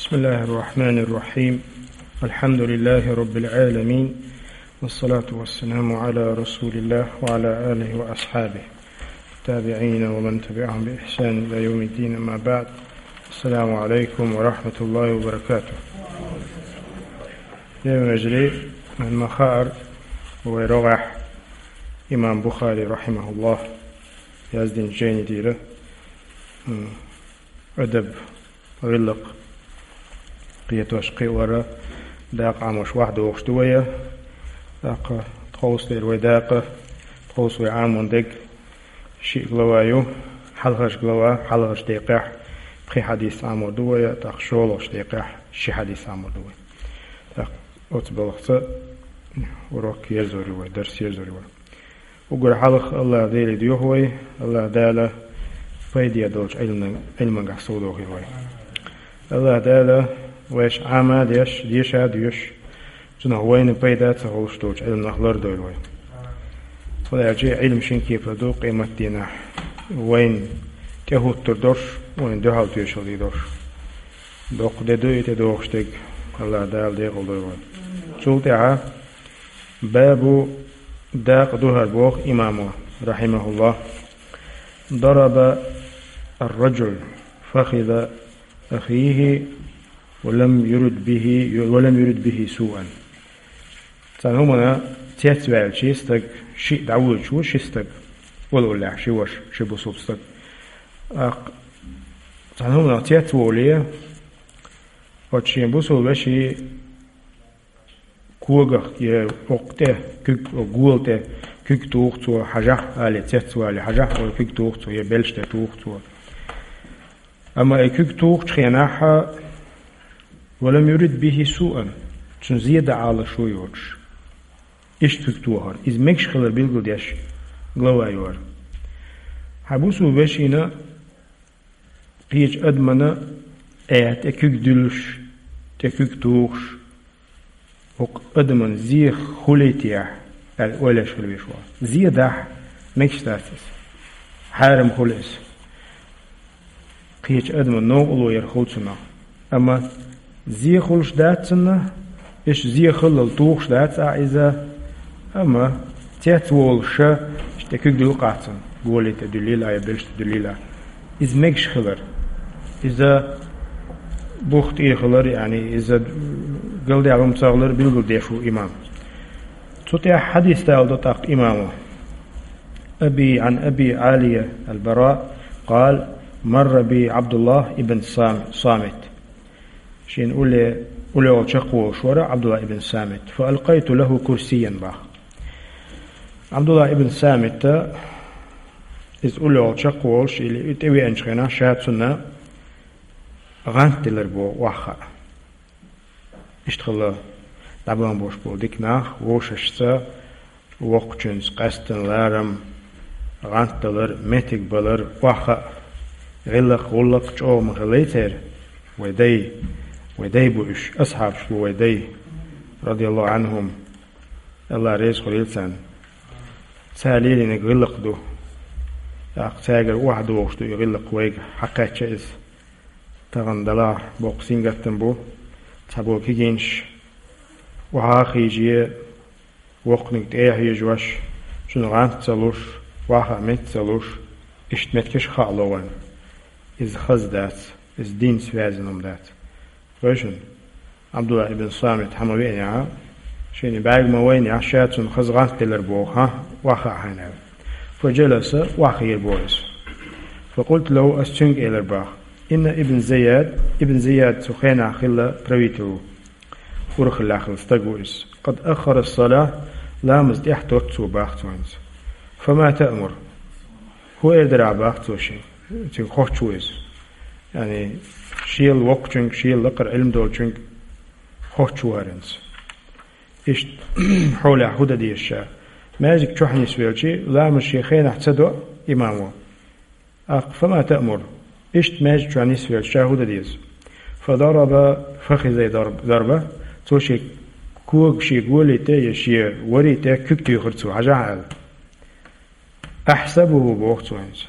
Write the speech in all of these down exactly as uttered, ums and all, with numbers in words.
بسم الله الرحمن الرحيم. الحمد لله رب العالمين، والصلاة والسلام على رسول الله وعلى آله وأصحابه التابعين ومن تبعهم بإحسان إلى يوم الدين، أما بعد. السلام عليكم ورحمة الله وبركاته. يا مجري من مخار ويروح إمام بخاري رحمه الله يزدين جيني ديره. أدب ГӀиллакх кхетош кхиавара дакъа Ӏамош ваьхьа дохуш ду вай. ТӀаккха тховсалера вай дакъа, тховса вай Ӏамон дерг ши глава ю. Хьалхарча глава, хьалхарча декъехь пхи хьадис Ӏамор ду вай, тӀаккха шолгӀача декъехь ши хьадис Ӏамор ду вай. ТӀаккха оцу балхаца урок ерзор ю вай, дарс ерзор ю вай. Уггар хьалха АллахӀ Деле доьху вай, АллахӀ Дала пайде долчу Ӏилман-, Ӏилмангахь совдохийла вай. АллахӀ Дала вайша Ӏама а деш, деша а доьшуш, цунах вайна пайда ца хуьлуш долчу Ӏилманах лардойла вай. ХӀунда аьлча Ӏилма шина кепара ду къематдийнахь. Вайна тӀехӀуттур долуш, вайна дуьхьал тоьшалла дийр долуш. Доккха де ду и тӀедогӀуш дерг, АллахӀ Дала декъалдойла вай. Цул тӀаьхьа باب, дакъа ду хӀара боху имамо, رحمه الله: ضرب الرجل فخذ أخيه ولم يرد به، ولم يرد به سوءا. Цхьана хӀуманна цецваьлча стаг, шиъ дӀавоьдуш ву ши стаг, олаллехь ши ваша, ши бусулба стаг. ТӀаккха цхьана хӀуманах цецволе, оцу шен бусулба вешин когах я оккха тӀе куьг, гола тӀе куьг туху цо, хьажахь, али цецвале, хьажахь, олу куьг туху цо, я белш тӀе туху цо. Амма и куьг тухучу хенахь, ولم يرد به سوءا, цунна зен дан Ӏалашо йоцуш, иштта куьг тохар. Иза мегаш хилар билгалдеш глава ю хӀара. Хьан бусулба вешина кхечу адамна аьтта тӀе куьг дуьллуш, тӀе куьг тухуш, хӀокху адамна зен хуьлуьйтехь аьлла, ойла еш хила везаш ву. Зен дахь, мегаш дац иза. Хьарам хуьлу иза. Кхечу адамна новкъарло яр хуьлу цунах. Амма зен хуьлуш дац цунна, иштта зен хиллал тухуш дац а иза, амма цецволуш ша, иштта куьг дуьллу-кх цунна, гола тӀе дуьллийла а, я белш тӀе дуьллийла а. Иза мегаш хилар. Иза бух тӀехилар, яъни иза галдаьлла хӀума ца хилар билгалдеш ву имам. Цу тӀехь хьадис даладо тӀаккха имамо. أبي عن أبي عالية البراء قال: مر بي عبد الله بن صام-، صامت. Шен улле-, уллехула чекхволуш вара Ӏабдулла ибн Самит. فألقيت له كرسيا боху. Ӏабдулла ибн Самита иза уллехула чекхволуш, или и тӀевеанчу хенахь ша цунна гӀант делар боху охьахаа. Иштта хилла, дӀабан болуш болу дика нах вовшашца воккхачуьнца къаьсттина ларам, гӀант далар, меттиг балар охьахаа. ГӀиллакх-гӀуллакх чӀогӀа ма хиллай церан, вай дай, вай дай бу уьш, асхьабаш бу вай дай, радияллаху Ӏанхум, АллахӀ реза хуьлийла царна. Цара лелийнарг гӀиллакх ду. ТӀаккха цаьргара охьадогӀуш ду и гӀиллакх вайга, хьакхаьчча иза. Тахана делахь боккха сингаттам бу, цхьаболу кегийнаш охьа а хиже, воккханиг тӀе а хьежош, цунна гӀант ца луш, охьахаа меттиг ца луш, иштта меттигаш а хаало вайна. Иза хаза дац, иза динца ваьзна хӀума дац. Вай шуна, Ӏабдулла ибн Самит хьан ма веанехь, шена бӀаьрг ма вайнехь, ша цунна хаза гӀант делар боху, хьан, охьахаа хьайна аьлла. فجلس, охьахиира боху иза. فقلت له, ас цуьнга элира боху: إن ابن زياد, ибн Зияд цу хенахь хилла правитель ву, урхаллехь хилла стаг ву иза. قد أخر الصلاة, ламаз тӀехьатотту цо боху цо хӀинца. فما تأمر؟ ХӀун эр дара ахь боху цо шен, цуьнга хоттуш ву иза. Яъни, шел воккхачуьнга, шел лакхара Ӏилма долчуьнга хоттуш ву хӀара хӀинца. Иштта, хьолехь хӀун дан деза ша? Маьждиг чохь нисвелчи, ламаз шен хенахь ца до имамо. ТӀаккха, فما تأمر؟ Иштта маьждиг чохь нисвелча ша хӀун дан деза? فضرب فخذي ضرب-, ضربة, цо шен кога, шен голи тӀе я шен вари тӀе куьг туьйхира цо, хьажахь аьлла. أحسبه, боху цо хӀинца.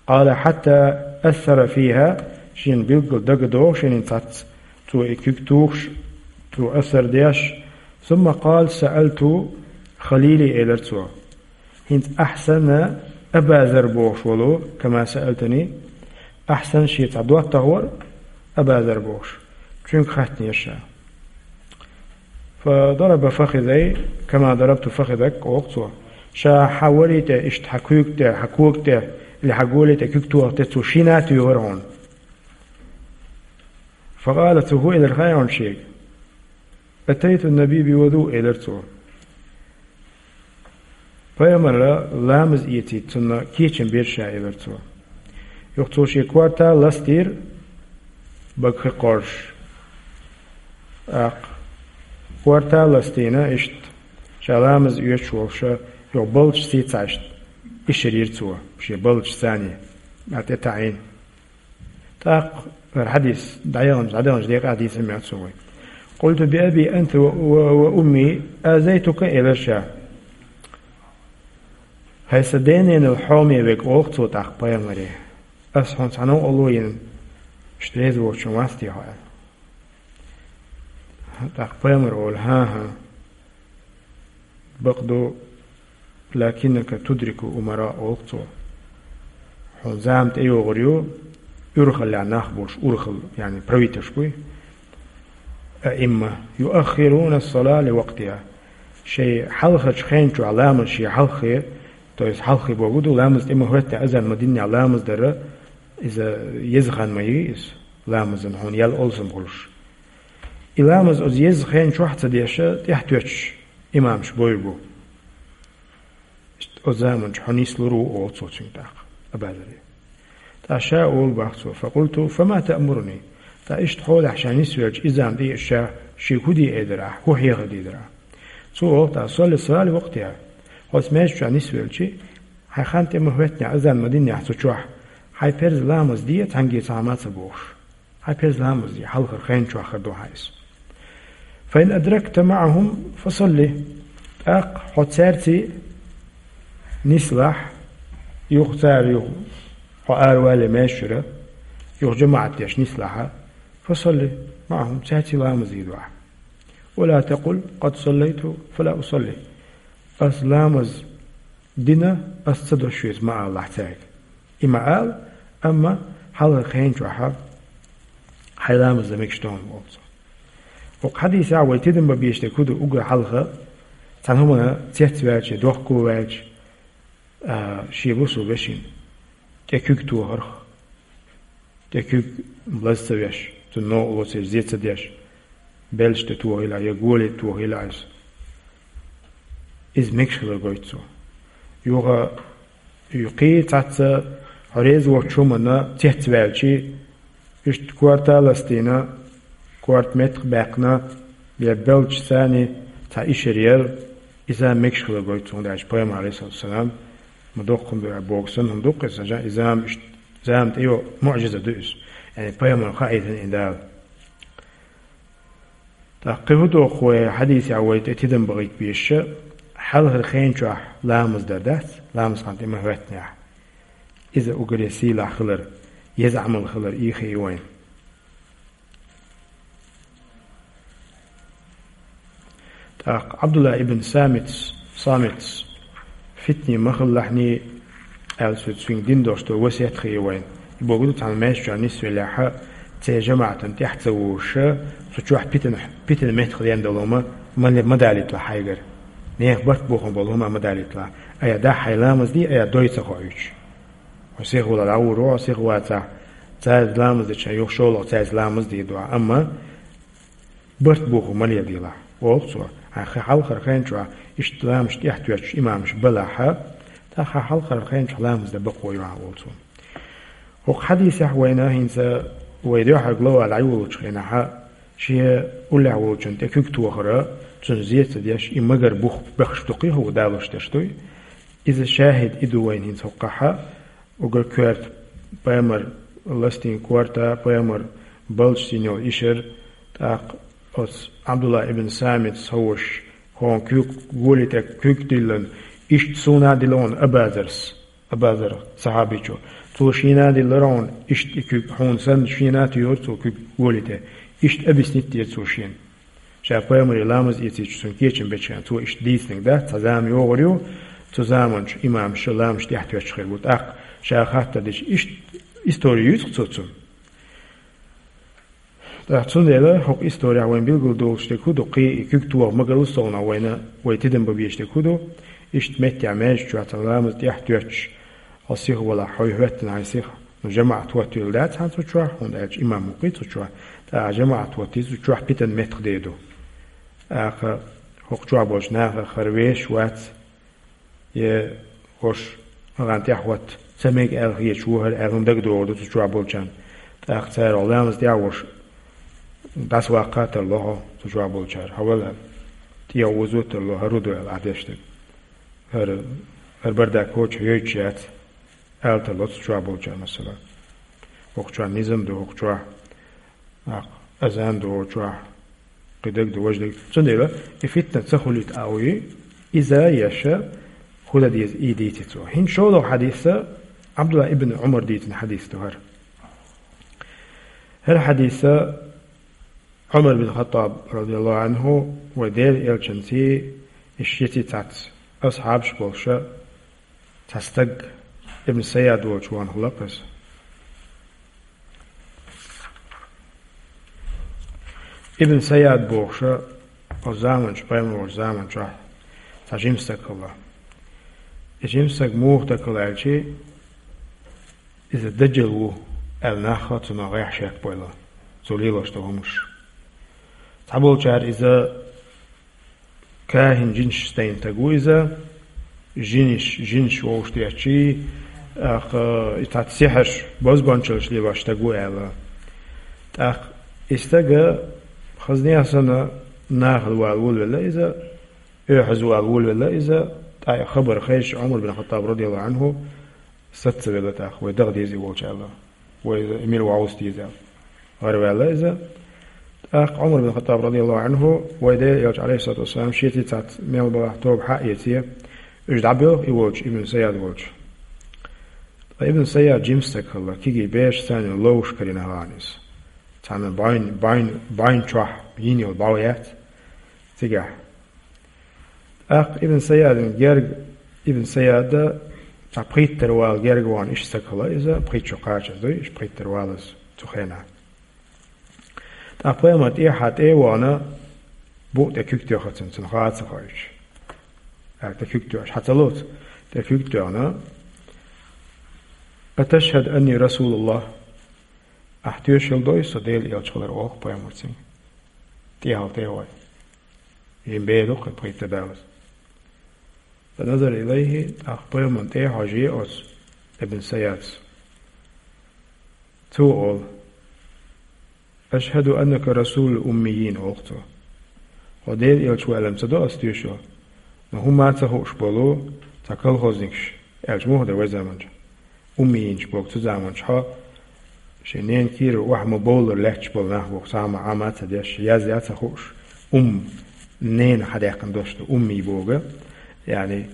قال: حتى أثر فيها, шена билггал дагадогӀу шена хӀинца цхьацца Цо и куьг тухуш, цо асар деш, сумма къала: «Саалту халили», — элира цо. ХӀинца ахьа санна Абазар бохуш волу, кама саалтани, ахьа санна шен цхьа доттагӀа вара Абазар бохуш, цуьнга хаттанера ша. Фадараба фахизай, кама дарабту фахизак, олу цо. Ша хьан вари тӀе, иштта хьан куьг тӀе, хьан кога тӀе, или хьан голи тӀе куьг тохар тӀе цо шена а туьйхира хьуна. Факъала, цо хӀун элира хаьий хьуна шега? «Атайту наби бивуду», — элира цо. Пайхамара ламаз эцийта цунна кечам бира ша, элира цо. Юха цо шен корта ластийра, багахи кхорш. ТӀаккха корта ластийна, иштта ша ламаз оьцуш волуша, юха балдаш сийца иштта ишар йира цо, шен балдаш цани, а тӀе таӀийна. ТӀаккха хӀара хьадис дӀаяланчу, дӀадаланчу декъа хьадис ма яц вай. «Къулту би аби анта ва, ва, ва умми азайтука», — элира ша. «ХӀай сан ден-ненал хьоме верг», — олу цо тӀаккха пайхамаре. «Ас хьуна цхьа новкъарло йина, иштта реза воцуш вац те хьо?» — аьлла. ТӀаккха пайхамара олу: «ХӀан-хӀа». «Бакъду, лакиннака тудрику умара», — олу цо. «Хьуна зама тӀейогӀур ю, урхаллехь нах болуш, урхалла, яъни правительш буй, аимма, юаххируна ас-сала ли вакътиха». Шайн хьалхарчу хен чохь ламаз шен хьалххе, то есть хьалххе бохург ду, ламаз тӀе ма хӀоьттинехь, азан ма динехь ламаз дара, иза еза хан ма ю иза, ламазан хьуна ял олсам хуьлуш. И ламаз оцу еза хен чохь а ца деш, тӀаьхьатоьттуш имамаш бойр бу. Оцу заманчохь хьо нислур ву, олу цо цуьнга тӀаккха, Абазаре. ТӀаккха ша олу бах цо: «Факъулту, фама таъмуруни?» ТӀаккха иштта хьолахь ша нисвелча, и зама тӀе а ша, шега хӀун де эр дара ахь, хӀун хьехар дийр дара ахь? Цо олу тӀаккха: «Салли ас-салата ли вакътиха». Хьо оцу маьждиг чохь нисвелча, хьайн хан тӀе ма хӀоьттинехь, азан ма динехь цу чохь, хьайн парз ламаз де, цхьаьнгге цхьа хӀума а ца бохуш. Хьайн парз ламаз де, хьалхара хен чохь хир ду хьан иза. «Фа ин адракта маъахум, фа салли». ТӀаккха хьо цаьрца нислахь, юха цара юха, хьо аравалле маьждиг чуьра, юха жамаӀат деш нислахь, «фа салли маъахум», цаьрца ламаз дийр ду ахь. «Ва ла такъул: къад саллайту, фа ла усалли». Ас ламаз дина, ас ца до шуьца, ма алалахь цаьрга. И ма ала, амма хьалхара хен чохь хьайн ламаз дан мегаш ду хьуна, олу цо. Оцу хьадисехь вай тидам бан безаш дерг хӀун ду, уггар хьалха цхьана хӀуманна цецваьлча, дохко ваьлча, а, шен бусалба вешин тӀе куьг тохарх, тӀе куьг лаза ца веш, цунна новкъарло ца еш, зе ца деш, белшаш тӀе тохийла я голи тӀе тохийла иза. Иза мегаш хилар гойту цо. Юха, юххе цхьацца хьо реза воцучу хӀуманна цецваьлча, иштта корта ластийна, корта меттах баьккхина, я белдаш цани цхьа ишар яр, иза мегаш хилар гойту цо, хӀунда аьлча пайхамар, алейхиссалату вассалам, ма доккха хӀума ду аьлла боху санна хӀума ду-кх иза, иза зама иштта, зама тӀе йо муӀжиза ду иза. Яъни пайхамар хаийтина и Дала. ТӀаккха кхин хӀун доху вай хьадисехь вай тӀе тидам бахийта безаш, хьалхара хен чохь ламаз дар дац, ламаз хан тӀе ма хӀоьттинехь. Иза уггаре сийлахь хилар, еза Ӏамал хилар ийхи ю вайна. ТӀаккха Ӏабдулла ибн Самитс, Самитс, фитне ма хилалахьний аьлла, цо цуьнга дина долуш долу васият хир ю вайна. И бохург ду, цхьана маьждиг чохь нисвеллехь, церан жамаӀатана тӀаьхьа ца вожуш, цу чохь питана, питана меттах деана долу хӀума ма, ма далийталахь хьайгара. Нехан барт бохам болу хӀума ма далийталахь. Айхьа дахь хьайн ламаз де, айхьа дой ца хоуьйтуш. Хьо сиха валахь, дӀагӀур ву хьо, сиха вацахь, цаьрца ламаз дечу хенахь юха шолгӀа цаьрца ламаз де дохьа. Амма барт бохам ма леладелахь, олу цо. Хьайн хи-, хьалхара хен чохь иштта ламазаш тӀаьхьатоьттуш имамаш балахь, тӀаккха хьалхара хен чохь ламаз дан бакъо ю хьан, олу цо. ХӀокху хьадисехь вайна хӀинца вай дуьххьара глава дӀайолучу хенахь, шен уллехь волчун тӀе куьг тохара, цунна зе ца деш, и магар бух бехаш дукхий хӀума далуш дерш дуй? Иза шахӀид и ду вайна хӀинца хӀокхахь, уггар коьрта пайхамар ластийна корта, пайхамар балдаш сийна йолу ишар, тӀаккха оцу Ӏабдулла ибн Самитс ховш, хӀокхуьнан куьг, голи тӀе куьг диллина, иштта суна а дилла хьуна Абазарс, Абазар сахьабичо, Цо шена а диллира хьуна, иштта и куьг хьуна санна, шена а туьйхира цо куьг гӀоле тӀе. Иштта объяснить дира цо шена. Ша пайхамаре ламаз эцийча цунна кечам беча хана цо иштта дийцинарг дац, цхьа зама йогӀур ю, цу заманчу имамаша ламазаш тӀехьатоьттуш хир бу. ТӀаккха ша хаттар дича иштта истори юьйцу-кх цо цунна. ТӀаккха цундела хӀокху исторехь вайна билгалдолуш дерг хӀун ду, кхин и куьг тоха ма-гарра совнах вайна, вай тидам бан безаш дерг хӀун ду, иштта меттехь маьждиг чохь цхьана ламаз тӀехь а тоьттуш, хьо сиха валахь, хьо хӀоьттина хьайн сиха, ну, жамаӀат хӀоттийла дац хьан цу чохь, хӀунда аьлча имам ву-кх цу чохь, тӀаккха жамаӀат хӀоттий цу чохь, питана меттах де ду. ТӀаккха хӀокху чохь болчу нахах хӀара вешаш вац, я хӀорш, гӀан тӀехь хӀотта ца мега аьлла хеташ ву хӀара аьлла хӀума дагадогӀур ду цу чохь болчарна. ТӀаккха цара хьо ламаз тӀехь а волуш, дӀасаваккха а тарло хьо цу чохь болчара, хьо вала аьлла. ТӀехьа озо а тарло, хӀара хӀун ду аьлла ахь деш дерг. ХӀара, хӀара бардак кочахь йойтуш яц, аьлла тарло цу чохь болчара, масала. ХӀокху чохь низам ду, хӀокху чохь, нах, азан ду хӀокху чохь, кхидерг ду, важа дерг. Цундела и фитна ца хуьлийта а вуй, иза а еш, хӀун дан деза и дийци цо. ХӀинца шолгӀа хьадис а, Ӏабдулла ибн Ӏумар дийцина хьадис ду хӀара. ХӀара хьадис а Ӏумар бин Хаттаб, радияллаху Ӏанху, вай Делан элчанций, и шеца цхьацца асхьабаш болуша, цхьа стаг, Ибн Сайяд волчу ван хӀума лакхаза. Ибн Сайяд бохуша, оцу заманчу, пайхамар волчу заманчохь цхьа жима стаг хилла. И жима стаг муха стаг хилла аьлчи, иза дажал ву аьлла, нах а цунах гӀехь шекбойла, цо лелош долу хӀумаш. Цхьаболчара иза кахин, жинаш стайна стаг ву иза, жинаш, жинаш вовшах деттий, тӀаккха и цхьацца сихьарш, бозбуанчаллаш лелош стаг ву аьлла. ТӀаккха и стага хазне а санна, нахала вала волавелла иза, оьхьаза вала волавелла иза, тӀаккха и хабар хезча Ӏумар бин Хаттаб, радияллаху Ӏанху, саца велла тӀаккха, вай даха деза и волчу аьлла. Вай иза мила вовза деза аьлла. ГӀараваьлла иза. ТӀаккха Ӏумар бин Хаттаб, радияллаху Ӏанху, вай Делан элча, алейхиссалату вассалам, шеца цхьацца мел балахь тоба хьаэций, уьш дӀабоьлху и волчу, Ибн Сайяд волчу. Ткъа Ибн Сайяд жима стаг хилла, кегий бераш санна ловш карийна хилла иза. Цхьана бӀаьн, бӀаьн, бӀаьн чохь йина йолу бӀо яц цигахь. ТӀаккха Ибн Сайядна герга, Ибн Сайяда цхьа пхийттара вала герга вахана иштта стаг хилла иза, пхийтта шо кхачаза дуй, иштта пхийттара валаза цу хенахь. ТӀаккха пайхамар тӀехьа тӀе а вахана, букъа тӀе куьг тоьхна цунна, цунна хаа ца хоуьйтуш. ТӀаккха тӀе куьг тоьхна, хьан ца лоцу, тӀе куьг тоьхна: «Аташхьаду анни расулуллах?» Ахь тоьшалла дой со Делан элча хилар, олу-кх пайхамар цуьнга. ТӀехьа тӀе а вахана. Жима бер ду-кх и пхийтта далаза. Фаназара илайхи, тӀаккха пайхамарна тӀе а хьожий оцу Ибн Сайяда. Цо олу: «Ашхьаду аннака расулул уммийин», олу-кх цо. Хьо Делан элча ву аьлла ца до ас тоьшалла, но хӀумма а ца хууш болу цхьа колхозникаш, аьлча муха ду вай заманчохь. Уммийинаш боху цу заманчохь, шен ненан кийрара охьа ма-бовллара лаьтташ болу нах боху, цхьа хӀума Ӏама а ца деш, язъян а ца хууш, умма, ненан хьадаьккхина дош ду, уммий боху, яъни,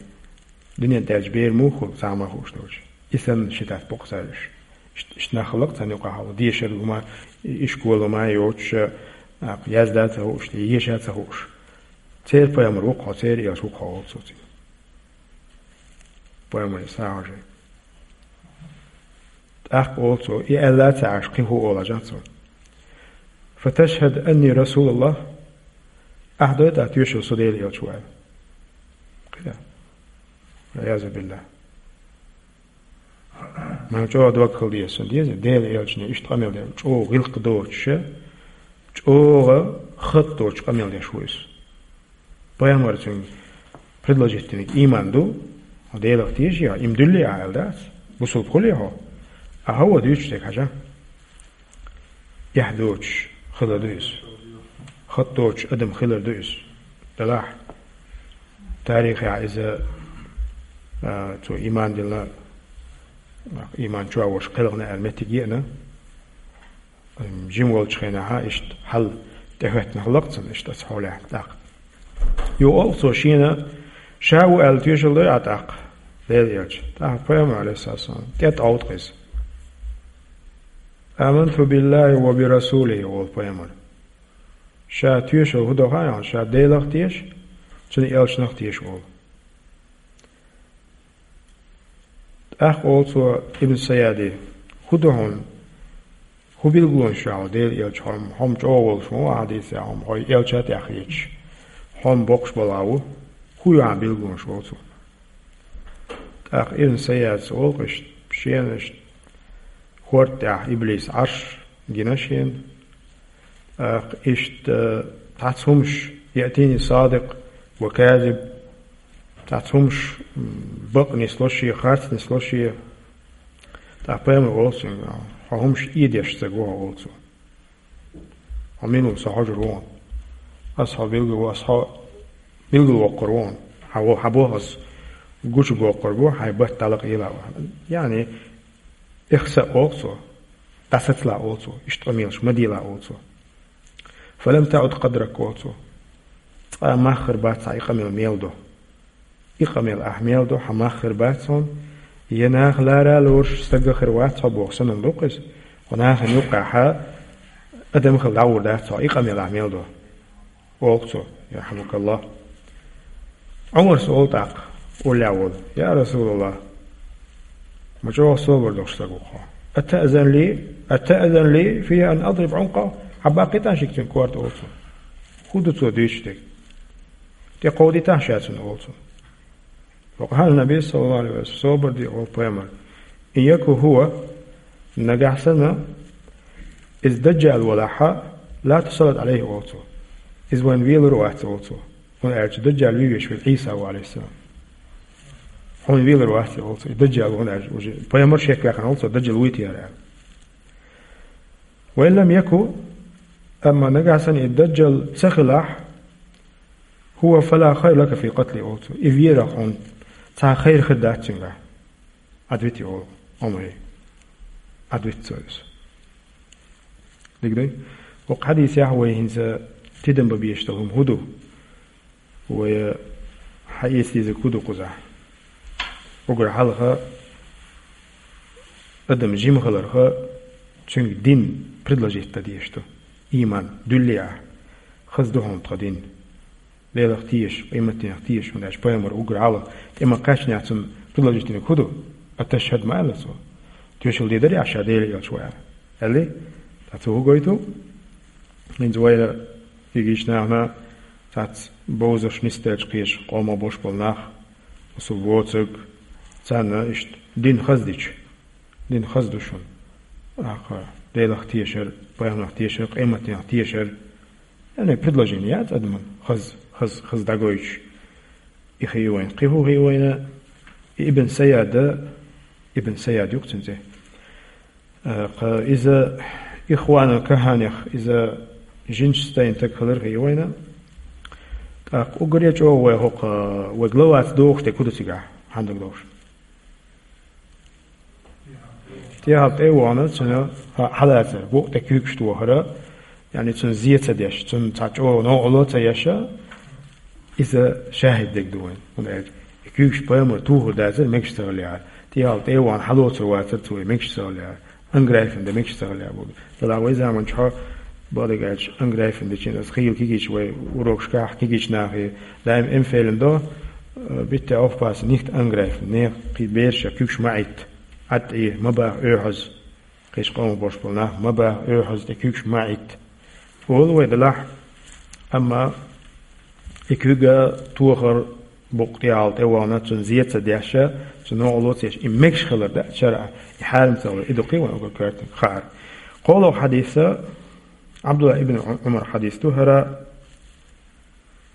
дуьнен тӀехь бер муха хуьлу, цхьа хӀума а хууш долчу. И санна ши тӀе боккху цара уьш. Ишт-, иштта нах хилла-кх царна юкъахь, дешар хӀума, ишкол хӀума а йоцуш, нах яздан а ца хууш, еша а ца хууш. Церан пайхамар ву-кх хьо, церан элча ву-кх хьо, олу цо цуьнга. Пайхамаре схьа а хьожий. ТӀаккха олу цо, и аьлла а ца Ӏаш, кхин хӀун олу хьажа цо. «Фаташхьаду анни расулуллах?» Ахь дой тӀаккха тоьшалла со Делан элча ву аьлла? Кхин а. Валъязу биллахь. Ма чӀогӀа дог хила деза, сан деза, Делан элчане иштта къамел деш, чӀогӀа гӀиллакх доцуша, чӀогӀа хатӀ доцуш къамел деш ву иза. Пайхамар цуьнга предложить динарг ийман ду, хьо Делах теший, хьо ийман дуьллий ахь аьлла дац, бусулба хуьлий хьо? Ахьа ван дуьйцуш дерг хьажа. Эхь доцуш хилар ду иза. ХатӀ доцуш адам хилар ду иза. Делахь, тарихехь иза, а, цо ийман дилла, ийман чохь волуш кхелхина аьлла меттиг еана. Жима волчу хенахь иштта хьал тӀехӀоьттина хилла-кх цунна иштта оцу хьолехь тӀаккха. Юха олу цо шена, ша ву аьлла тоьшалла дой ахь тӀаккха, Делан элча? ТӀаккха пайхамар, алейхиссалату вассалам, тӀе тӀовту-кх иза. «Аманту биллахи ва би расулихи», — олу пайхамар. Ша тоьшалла хӀун до хаьий хьуна, ша Делах теша, цуьнан элчанах теша олу. ТӀаккха олу цо Ибн Сайяде: «ХӀун ду хьуна? ХӀун билгалонаш ю хьуна, Делан элча, хьо-м, хьо-м чӀогӀа волуш ма ву хьадисехь, хьо-м хьо элча тӀехь хеташ, хьо-м боккхуш балхахь ву. ХӀун ю хьан билгалонаш?» — олу цо. ТӀаккха Ибн Сайяда олу-кх иштта, шена иштта хӀорда тӀехь иблис Ӏаш гина шена. ТӀаккха иштта цхьацца хӀумаш: «Яътини садикъ ва казиб», цхьацца хӀумаш, м, бакъ нисло шен, харц нисло шен. ТӀаккха пайхамара олу цуьнга: «Хьо хӀумаш ийдеш ца гу хьо», — олу цо. «Хьо мила ву, со хьожур ву хьуна. Ас хьо билгал, ас хьо билгалвоккхур ву хьуна. Хьан во-, хьан боху ас гучубоккхур бу, хьайн барт дӀалакъийла а ву». Яъни, ихса олу цо, дӀасацалахь олу цо, иштта къамелаш ма делахь олу цо. «Фалам таӀуд къадрак», — олу цо. Цкъа а мах хир бац хьан и къамел мел до. И къамел ахь мел до, хьан мах хир бац хьуна. Я нах лара а лоруш стаг а хир вац хьо боху санна ду-кх иза. Хьо нахана юккъехь адам хила дӀагӀур дац хьо, и къамел ахь мел до. Олу цо, ярхьамукаллах. Ӏумарс олу тӀаккха, уллехь волу: «Я Расулаллах, ма чӀогӀа собар долуш стаг ву хьо. Атаъзан ли, атаъзан ли фи ан адриб Ӏункъа?» Хьан баккхийтахьа шига цуьнан корта, олу цо. ХӀун ду цо дуьйцуш дерг? ТӀекховдийтахьа ша цунна, олу цо. Ва къала Наби, саллаллаху алейхи ва саллям, собар де, олу пайхамар. «Ин яку хӀува», нагахь санна иза даджал валахьа, «ла тусаллит алейхи», олу цо. Иза вайна велар вац, олу цо. ХӀунда аьлча даджал вевеш верг Ӏийса ву, алейхиссалам. Хьуна велар вац, олу цо. И даджал ву, хӀунда аьлча уже пайхамар шек ваьккхина, олу цо, даджал вуй те яра аьлла. «Ва ин лам яку», амма нагахь санна и даджал ца хилахь, «хӀува фала хайра лака фи къатли», олу цо. И верах хьуна цхьа хайр хир дац цуьнгахь. Ӏадвити, олу Ӏумаре. Ӏадвита цо иза. Дика дуй? Оцу хьадисехь вай хӀинца тидам бан безаш долу хӀума хӀун ду? Вай хьаэца дезарг хӀун ду кхузахь? Уггар хьалха адам жима хиларх, цуьнга дин предложить дан дезаш ду. Ийман, дуьллий ахь, хаза ду хьуна тхан дин. Делах теша, къематдийнах теша, хӀунда аьлча пайхамар уггар хьалха тӀе ма кхаьчнехь цунна предложить динарг хӀун ду? «Аташхьад» ма аьлла цо. Тоьшалла дийр дарий ахь ша Делан элча ву аьлла? Аьллий? Ткъа цо хӀун гойту? ХӀинца вайна кегийчу нахана цхьацца бовзарш нисделча кхечу къомах болуш болу нах, масал воцург, царна иштта дин хаза дича, дин хаза ду шуна. Ахьа Делах тешар, пайхамарах тешар, къематдийнах тешар. Яъни предложение яц адаман хаза, хаза, хаза дӀагойтуш. И хи вайна. Кхин хӀун хи вайна? И Ибн Саяда, Ибн Саяд ю-кх цуьнан цӀе. Э, кха, иза Ихванул Каханех, иза жинаш стайн таг хилар хи вайна. ТӀаккха уггаре чӀогӀа вай хӀокху, вай главаца дохуш дерг хӀун ду цигахь, хьан даг долуш? ТӀехьа тӀе а вахана, цуьнан хьа-, хьалацар, букъ тӀе куьйгаш тохара, яъни цунна зе ца деш, цунна цхьа чӀогӀа новкъарло ца еш, иза шахӀид дерг ду вайн. ХӀунда аьлча и куьйгаш пайхамар тухур дацара, мегаш ца хиллехьара. ТӀехьа тӀе а вахана, хьалоцур вацара цо, мегаш ца хиллехьара. Анграйфен дан мегаш ца хиллехьара боху. Делахь вай заманчохь, бакъдерг аьлча, анграйфен дечийн аса хийла кегийча вай урокашкахь кегийчу нахе даим эмфелин до, э, bitte aufpassen, nicht angreifen, нехан кхин бераш а куьйгаш ма Ӏитта. Ӏад тӀе, ма баха оьхьаз. Кхечу къомах болуш болу нах ма баха оьхьаз тӀе куьйгаш ма Ӏитта. Олу вай делахь, амма и куьйга тохар, букъ тӀехьа тӀе а вахана, цунна зе ца деш, цунна новкъарло ца еш, и мегаш хилар дац шарӀа, и хьарам ца хилар, и ду кхин вайн уггар коьртаниг хаар. КхоалгӀа хьадиса, Ӏабдулла ибн Ӏу-, Ӏумар хьадис ду хӀара,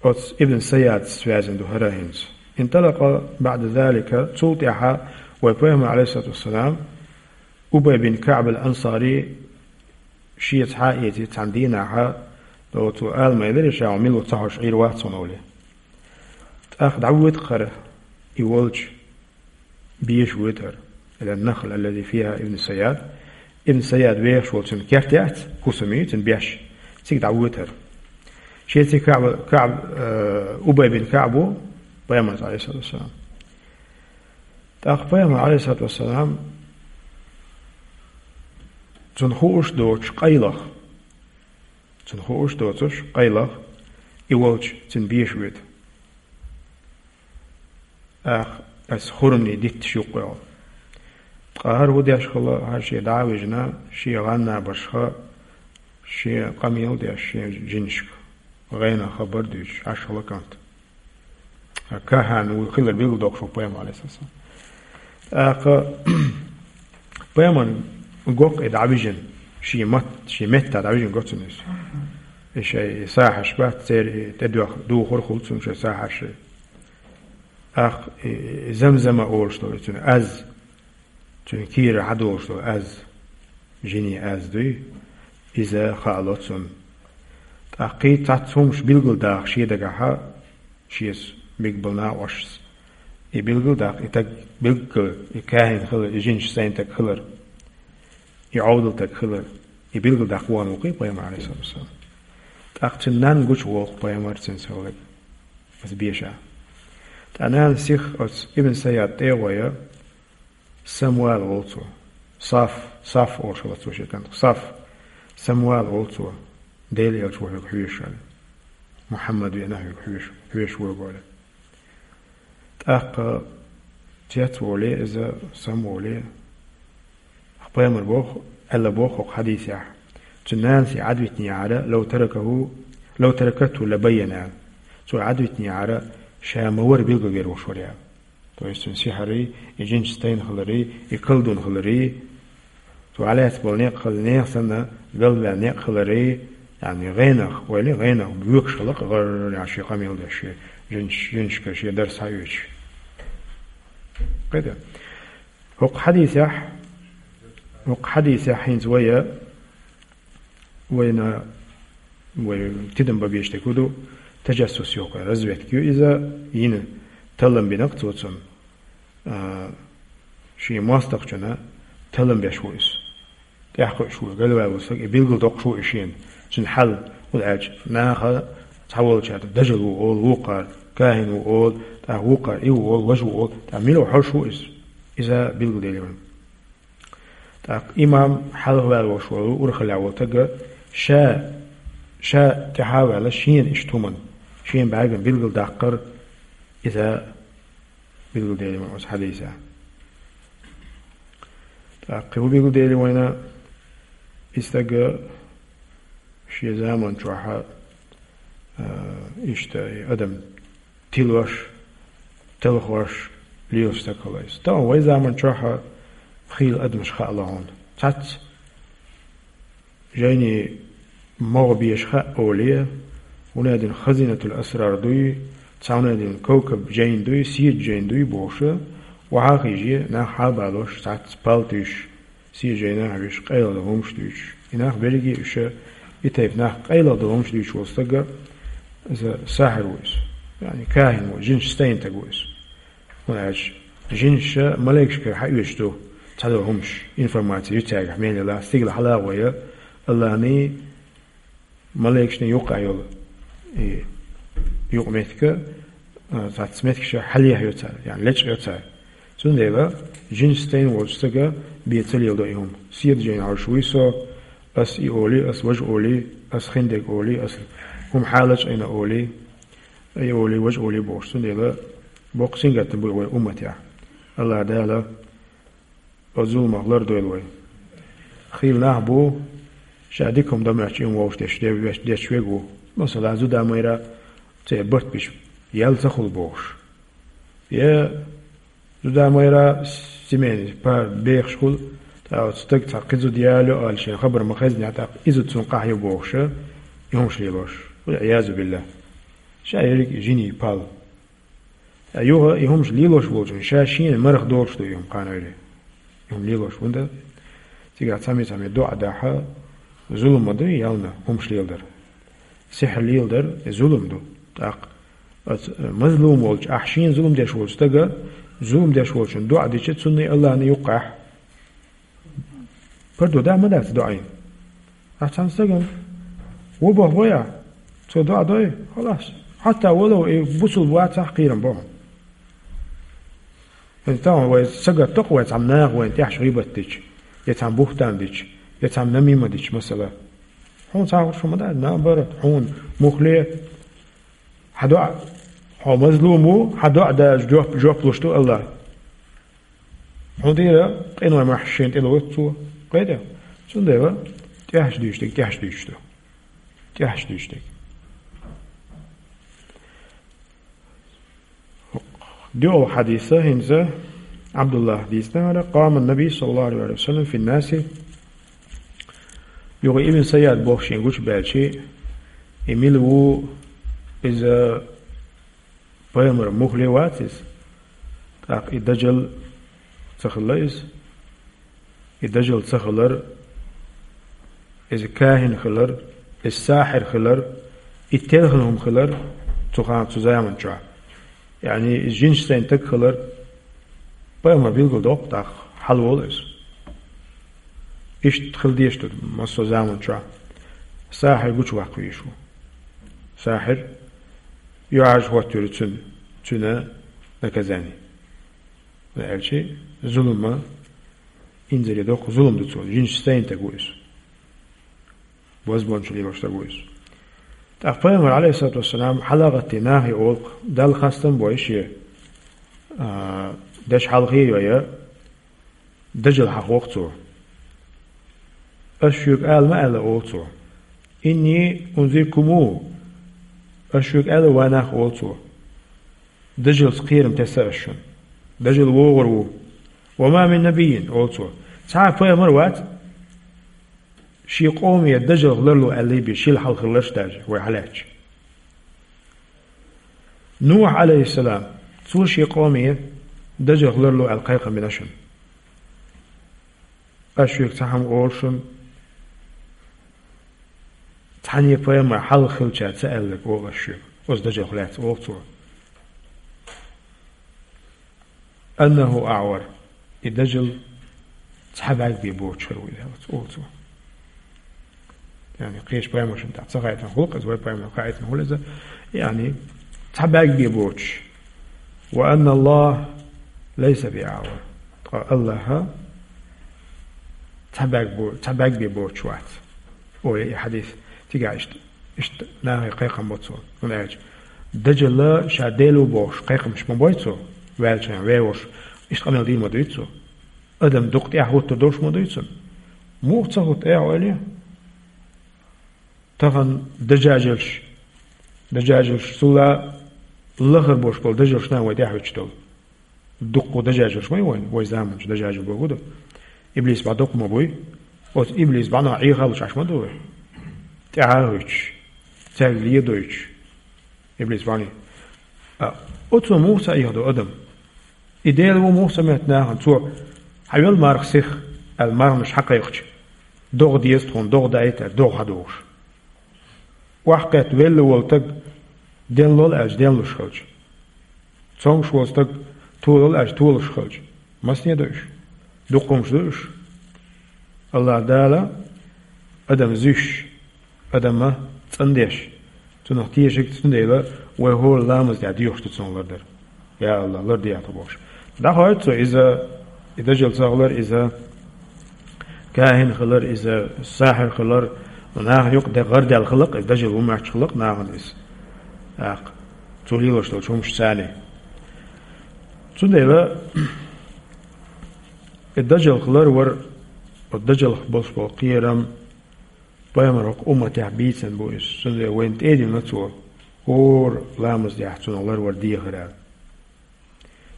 оцу Ибн Саядца связан ду хӀара хӀинца. «Инталакъа баъда залика», цул тӀаьхьа вай пайхамар, алейхиссалату вассалам, Убай бин КаӀб ал-Ансари шеца хьа а эций цхьана дийнахьа, оцо ала ма элира ша, хьо мила ву ца хьожуш Ӏийр вац хьуна олий. ТӀаккха дӀавоьду хӀара и волчу, беша воьду хӀара. Ила нахл аллази фиха Ибн Саяд. Ибн Саяд вехаш волу цуьнан керт яц, хӀусам ю цуьнан беш. Цига дӀавоьду хӀара. Шеца КаӀб, КаӀб, э, Убай бин КаӀб ву, пайхамарца, алейхиссалату вассалам. ТӀаккха пайхамар, алейхиссалату вассалам, Цунна хууш доцуш къайлах. Цунна хууш доцуш къайлах, и волчу цуьнан беша воьду. Ах, ас хурмани дитташ юккъехула. Ткъа хӀара хӀун деш хилла, хӀара шен дӀа а вижина, шен гӀан набаршха, шен къамел а деш, шен жинашка, гӀенах хабар а дуьйцуш, Ӏаш хилла кӀант. Кахана вуй хилар билггал доккхуш ву пайхамар, алейхиссалам. ТӀаккха пайхамаран гӀуллакх и дӀавижина, шен мат-, шен метта дӀавижина го цунна иза. И шайн и сахьарш бац, церан и тӀедоьхна духар хуьлу цунна шайн сахьарший. ТӀаккха и, и Замзама олуш долу и цуьнан аз, цуьнан кийра хьадолуш долу аз, жинийн аз дуй, иза хаало цунна. ТӀаккха кхин цхьацца хӀумаш билггал даха шен дагахьа, шеца мегаш болу накъосташца. И билггал даккха, и стаг билггал, и кахин хилар, и жинаш стайна стаг хилар, и Ӏовдал стаг хилар, и билггал даккха вахана ву-кх и пайхамар, алейхиссалату вассалам. ТӀаккха цуьнан нанна гучуволу-кх пайхамар цуьнца хилар, аса беша. Ткъа нана сиха оцу Ибн Сайяд тӀе а гӀой, Самвал волу цо. Саф, Саф олуш хилла цо шен кӀантах. Саф, Самвал волу цо. Делан элча ву хьоьга хьоьжуш аьлла. Мухьаммад веана хьоьга хьоьжуш, хьоьжуш ву хьоьга аьлла. ТӀаккха цец воле иза, сам воле, пайхамар боху, аьлла боху хӀокху хьадисехь. Цуьнан нанас и Ӏадвитинехьара, лав таракаху, лав таракатху лабайяна. Цо Ӏадвитинехьара, ша ма вара билгалвер волуш вара аьлла. То есть цуьнан сихьарий, и жинаш стайна хиларий, и колдун хиларий, цо Ӏалаьцна болу некъ хила, нехан санна галваьлла некъ хиларий, яъни гӀенах, ойла, гӀенах боьхуш хилла-кх гӀарра, яъни шен къамел деш, шен жинаш, жинашка шен дар схьаоьцуш. Кхета? ХӀокху хьадисехь, хӀокху хьадисехь хӀинца вай а, вайна, вай тидам бан безаш дерг хӀун ду, таджассус йоккхур, разведка ю иза, йина таллам бина-кх цо цунна. А, шен мостагӀчунна таллам беш ву иза. ТӀаьхьакхуьуш ву, галваьлла волу стаг, и билггал доккхуш ву и шена. Цуьнан хьал, хӀунда аьлча наха цхьаволчара дажал ву олу вукхара, кахин ву олу, тӀаккха вукхара и ву олу, важа ву олу, тӀаккха мила хьожуш ву иза? Иза билгалделира вайна. ТӀаккха имам хьалхаваьлла волуш волу, урхаллехь волу стага ша, ша тӀаьхьа а ваьлла, шена иштта хӀуманна, шена бӀаьргана билггал даккхар, иза билгалделира вайна оцу хьадисехь. ТӀаккха хӀун билгалделира вайна, и стага шен заман чохь а, а, иштта и адам тилош, телхош лелаш стаг хилла иза. Тахана вай заман чохь а хийла адамаш хаало хьуна. Цхьацца жайни могӀа беша хаьа олий, хӀунда аьлла хазинатул асрар дуй, цхьа хӀунда аьлла кавкаб жайна дуй, седа жайна дуй бохуш, охьа а хиъна, нах хьалабалош, цхьацца пал туьйсуш, седа жайнахь а вуьйш, къайлагӀа долу хӀумаш дуьйцуш. И нах берриге а уьш, и тайпа нах къайлагӀа долу хӀумаш дуьйцуш волу стаг, иза сахьир ву иза. Яъни кахин ву, жинаш стайна стаг ву иза. ХӀунда аьлча жинаш маликашкара хьаоьцуш ду цхьадолу хӀумаш, информаци ю цаьргахь мел йолу, стигала хьалагӀа вай, Аллахьний маликашний юккъехь йолу и юкъаметтиг, а, цхьацца меттигаш хьалаехьа йо цара, яъни лечкъа йо цара. Цундела жинаш стайна волчу стага бен ца леладо и хӀума. Седа жайна хьожуш вуй со, ас и олий, ас важа олий, ас хиндерг олий, ас хӀума хьала лечкъийна олий, и олий, важа олий бохуш. Цундела боккха сингаттам бу вай умматехь. Аллахь Дала оцу зуламах лардойла вай. Хийла нах бу, ша дика хӀума дан моьттуш, и хӀума вовшах деш, де-, веш-, деш верг ву. Масала, зуда-майра церан барт беш, ял ца хуьлу бохуш. Я зуда-майра семейный пар бехаш хуьлу, тӀаккха оцу стага цхьа кхин зуда ялайо аьлла шена хабар ма-хеззинехь, тӀаккха и зуда цунна къахьо бохуш, и хӀумаш лелош. Вал-Ӏиязу биллахӀ. Ша ерриг жинийн пал. Ткъа юха и хӀумаш лелош волчун ша шена марха долуш ду и хӀума кхана вери. И хӀума лелош хӀунда? Цигахь цхьаммо-цхьаммо доӀа дахьа, зулам ма ду и ялна хӀумаш леладар. Сихьр леладар, и зулам ду. ТӀаккха оцу, э, мазлум волчу, ахь шена зулам деш волчу стага, зулам деш волчун доӀа дича, цунна Аллахьна юккъехь Пардо да ма дац доӀийна. Ахь цхьана стагана вон боху бой ахь? Цо доӀа дой? Халас. Хьатта вало и бусулба вацахь кхерам бо хьуна. ХӀинца тахана вай сагатдо-кх вай цхьана наха вайна тӀехь гӀийбат дича, я цхьана бухтан дича, Я цхьа намима дича, масала. Хьуна цхьа хӀума ма дац, наоборот, хьуна мухле, хьа доӀа, хьо мазлум ву, хьа доӀа даже жоп, жоп луш ду Аллах. Хьуна дийра къиной махьа шен тӀе ловц цо. Кхетий? Цундела тӀехьаш дуьйцуш дерг, тӀехьаш дуьйцуш ду. ТӀехьаш дуьйцуш дерг. ДоьалгӀа хьадиса хӀинца Ӏабдуллахь дийцинера: «قام النبي صلى الله عليه وسلم في الناس». Юха Ибн Сайяд боху шен гучубаьлча, и мила ву иза, пайхамар мухле вац иза, тӀаккха и дажал ца хилла иза. И дажал ца хилар, иза кахин хилар, иза сахьир хилар, и телхина хӀума хилар цу хана, цу заман чохь. Яъни, иза жинаш сайна таг хилар, пайхамар билгал доккху тӀаккха, хьалаволу иза. Иштта хила дезаш ду массо а заман чохь. Сахьир гучуваккха везаш ву. Сахьир, юьхьӀаьржа хӀоттайора цуьнан, цуьнан наказание. Аьлча, зулама, инзаре доккха зулам ду цо, жинаш сайна таг ву иза. Бозбуунчалла лелош таг ву иза. ТӀаккха пайхамар, Ӏалайхиссалату вассалам, хьала а гӀаттий, нахе олу-кх, Далла хастам а бой шен, а, деш хьалхе а йой, дажал хьахох цо. Ас шуьга ала ма аьлла, олу цо. «إني أنذركموه», ас шуьга аьлла, ва нах, олу цо. Дажалца кхерам тесна ас шуна. Дажал вогӀур ву. «وما من نبي», олу цо. Цхьа а пайхамар вац, шен къоме дажалх ларло аьллий бен, шил хьалхалларш даже, вай хьалаьцча. Нухь, Ӏалайхиссалам, цо шен къоме дажалх ларло аьлла кхайкхам бина шуна. Ас шуьга цхьа хӀума олу шуна, цхьанне а пайхамар хьалха хилча ца аьлларг олу ас шуьга, оцу дажалх лаьцна, олу цо. «أنه أعور», и дажал цхьа бӀаьрг бен боцуш хир ву иза, олу цо. Яъни, кхечу пайхамаршна тӀехь ца хаийтина хуьлу-кх иза, вай пайхамарна хаийтина хуьлу иза, яъни, цхьа бӀаьрг бен боцуш. «وأن الله ليس بأعور». Ткъа Аллахь цхьа бӀаьрг бо-, цхьа бӀаьрг бен боцуш вац. Олу и хьадис цигахь иштта, иштта нахе кхайкхам бо цо. ХӀунда аьлча дажал ша Дела ву бохуш кхайкхамаш ма бой цо, ваьлча, веваш, иштта къамел дийр ма дуьйцу цо. Адам дукха тӀаьхьа хӀуттур долуш ма дуьйцу цунна. Муха ца хӀутту, эхь ойла е? Тахана дажажалш, дажажалш, цул а лахара болуш болу дажалш нах вай тӀаьхьа хӀуьттуш долу. Дуккха дажажалш ма ю вайн, вай заманчу дажажал бохург ду. Иблис бӀа доккха ма буй. Оцу иблис бӀанах Ӏехалуш Ӏаш ма ду вай. ТӀаьхьа а хӀуьттуш, цаьрга ледойтуш. Иблис бӀаний. А, оцо муха ца Ӏехадо адам? И Дела ву муха ца моьтту нахана? Цо: «Хьан йолу марха сиха?» аьлла, марханаш хьакхайкхича, «ДогӀа деза тхуна, догӀа даийта», аьлла, догӀа хьадохуш. Охьакхетта велла волу стаг денлол аьлча, денлуш хилча. Цомгуш волу стаг толол аьлча, толуш хилча. Масане ду уьш? Дуккха хӀумаш ду уьш. Аллахь Дала адам зуьйш, адам цӀандеш, цунах тешарг, цундела вай хӀора ламаз тӀехь доьхуш ду цунах лардар. Я Аллахь, лардехьа тхо бохуш. ДӀахоуьйту цо иза, и дажал ца хилар, иза кахин хилар, иза сахьир хилар, нахана юкъа де гӀардаьлла хилла-кх, иза дажал ву моьттуш хилла-кх нахана иза. ТӀаккха цо лелош долчу хӀумаш царний. Цундела и дажалх ларвар, оцу дажалх болуш болу кхерам, пайхамар хӀокху умматехь бийцина бу иза. Цундела вайна тӀедиллина цо, хӀора ламаз тӀехь цунах ларвар дехар аьлла.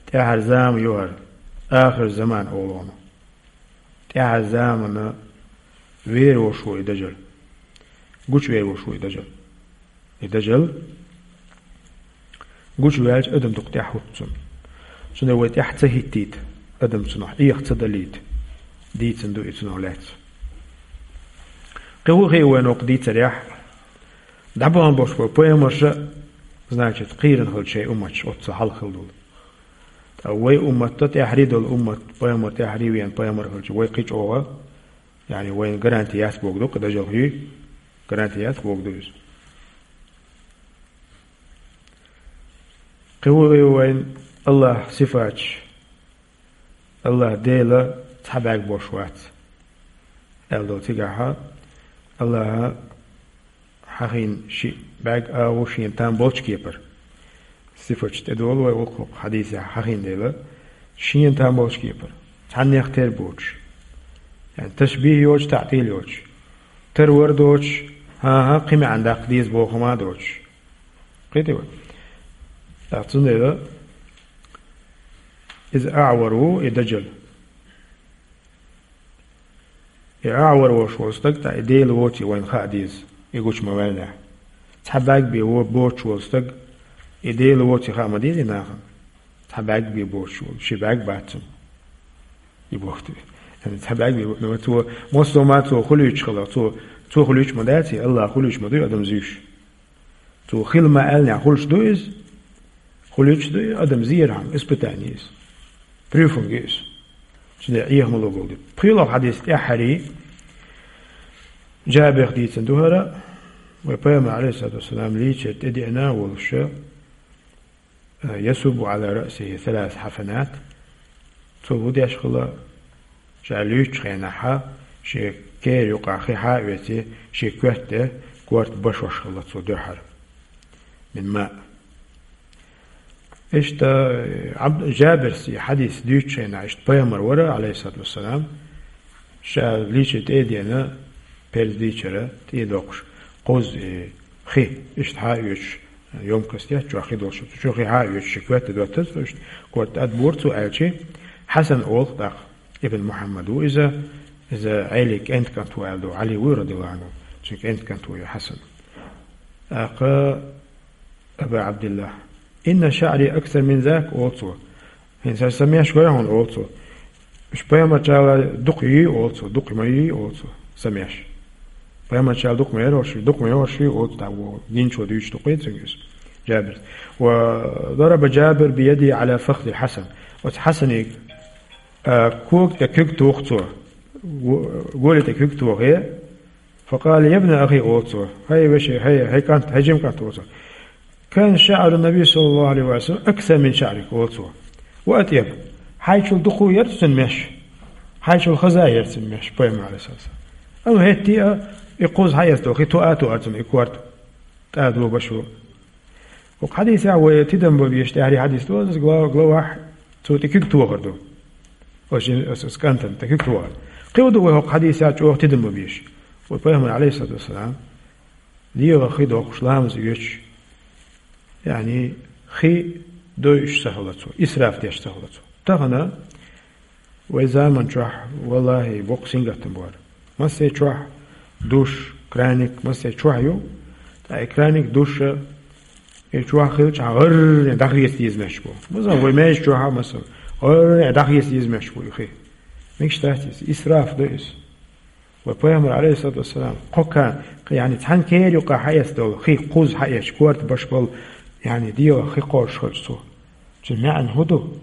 ТӀаьхьара зама ю хӀара, ахир заман олу хьуна. ТӀаьхьара замана вер волуш ву и дажал. Гучувер волуш ву и дажал. И дажал гучуваьлча, адам дукха тӀаьхьа хӀутту цунна. Цундела вай тӀаьхьа ца хӀиттийта, адам цунах Ӏеха ца далийта, дийцина ду и цунах лаьцна. Кхин хӀун хии вайна хӀокху дийцарехь? ДӀабахана болуш болу пайхамарша, значит, кхийрина хилча шайн умматаш, оццул хьалха хилла долу. Ткъа вай умматта тӀаьхьарий долу уммат, пайхамар тӀаьхьарий веана пайхамар хилча, вай кхин чӀогӀа, яъни вайна гаранти яц бохург ду, кхин дажалх юй, гаранти яц бохург ду иза. Кхин хӀун хии вайна Аллахь сифаташ? Аллахь Дела цхьа бӀаьрг болуш вац. Аьлла долу цигахьа Аллаха хьахийна шиъ бӀаьрг агӀо шена там болчу кепара. Сифаташ тӀедолу вай вукху хьадисехь хьахийна дела, шена там болчу кепара. Цхьаннех тера боцуш. ЯӀни ташбихӀ йоцуш, таӀтил йоцуш. Тара вара доцуш, хӀан-хӀа, кхин маьӀна даккха деза боху хӀума а доцуш. Кхетий вай? ТӀаккха цундела иза аӀвар ву и даджал. И аӀвар волуш волу стаг, тӀаккха и Дела воций вайна хаа деза, и гучу ма ваьллехь. Цхьа бӀаьрг бен во-, боцуш волу стаг, и Дела воций хаа ма деза и нахана. Цхьа бӀаьрг бен боцуш волу, ши бӀаьрг бац цуьнан. И боху те. Цхьа бӀаьрг бен бо-, ну, цо, массо а ма цо хуьлуьйтуш хилла, цо, цо хуьлуьйтуш ма дац и, Аллах хуьлуьйтуш ма дуй адамаш зуьйш. Цо хила ма аьллехь, хуьлуш ду иза? Хуьлуьйтуш ду и, адам зерхьама, испытание иза. Прюфунг иза. Цундела Ӏеха ма ло болу ду. ПхоьлгӀа хьадис тӀаьххьарий, Джабирх дийцина ду хӀара, вай Пайхамар, алейхиссалату вассалам, лийчар тӀедеана а волуша, «يصب على رأسه ثلاث حفنات». Цо хӀун деш хилла, ша луьйчу хенахьа, шен кера юкъа хи хьа а оьций, шен коьрта тӀе корта башош хилла цо дуьххьара. Мин ма. Иштта, Абд-, Джабирс и хьадис дуьйцучу хенахь, иштта Пайхамар вара, алейхиссалату вассалам, ша лийча тӀе а деана, перз дийчара тӀе а доккхуш, кхузза и хи, иштта хьа а оьцуш, ёмкость яц, чохь хи долуш, цу чу хи хьа а оьцуш, ши коьрта доттаза, иштта корта тӀадбора цо аьлчи, Хьасан олу тӀаккха, Ибн Мухьаммад ву иза, иза Ӏелин кӀентан кӀант ву аьлла ду, Ӏали вуй, радияллаху Ӏанху, цуьнан кӀентан кӀант ву и Хьасан. ТӀаккха Аба Абдилла. «Инна шаъри аксар мин зак», олу цо. ХӀинца сан меш гой хьуна, олу цо. Уьш пайхамарчарла дукха юй, олу цо, дукха ма юй, олу цо, сан меш. Пайхамарчарла дукха ма яра уьш, дукха ма яра уьш, олу цо, дӀа ву, динчо дуьйцуш дукха ю цуьнга иза. Джабир. Ва дараба Джабир биядихи ала фахзил Хьасан. Оцу Хьасаниг, а, кога тӀе куьг туху цо. Го-, голе тӀе куьг тухе, «Факъала: я бна ахи», олу цо, хӀай вешин, хӀай, хӀай кӀант, хӀай жима кӀант, олу цо. «Кана шаъру Наби саллаллаху алейхи ва саллям аксар мин шаърик», олу цо. «Ва атъяб, хьайчул дукха яра цуьнан меш, хьайчул хаза яра цуьнан меш», пайхамар алейхиссалам. Амма хӀетте а и кхузза хьаэцна долу хи тоа а тоара цунна и корта, тӀадо башо. ХӀокху хьадисехь вай тидам бан везаш, тӀаьххьара хьадис ду, иза гла-, главахь цо тӀе куьг тохар ду. Оцу жин-, оцу, оцу кӀантана тӀе куьг тохар. Кхин хӀун ду вай хӀокху хьадисехь чӀогӀа тидам бан везаш? Вай пайхамар, алейхиссалату вассалам, дегӀан хи доккхуш, ламаз оьцуш, яъни хи дойуш ца хилла цо, исраф деш ца хилла цо. Тахана вай заман чохь, валлахӀи, боккха сингаттам бу хӀара. Массо а чохь душ, краник, массо а чохь ю. Ткъа и краник, душ, и чохь хилча, гӀарре дӀахеца деза меш бу. Масала, вай маьждиг чохь а, масала, гӀарре дӀахеца деза меш бу и хи. Мегаш дац иза, исраф ду иза. Вай пайхамар, алейхиссалату вассалам, кхо ка-, яъни цхьана кера юкъа хьаэцна долу хи кхузза хьаэцча, корта баш болу, яъни дегӀан хи кхозуш хилча цо. Цуьнан маьӀна хӀун ду?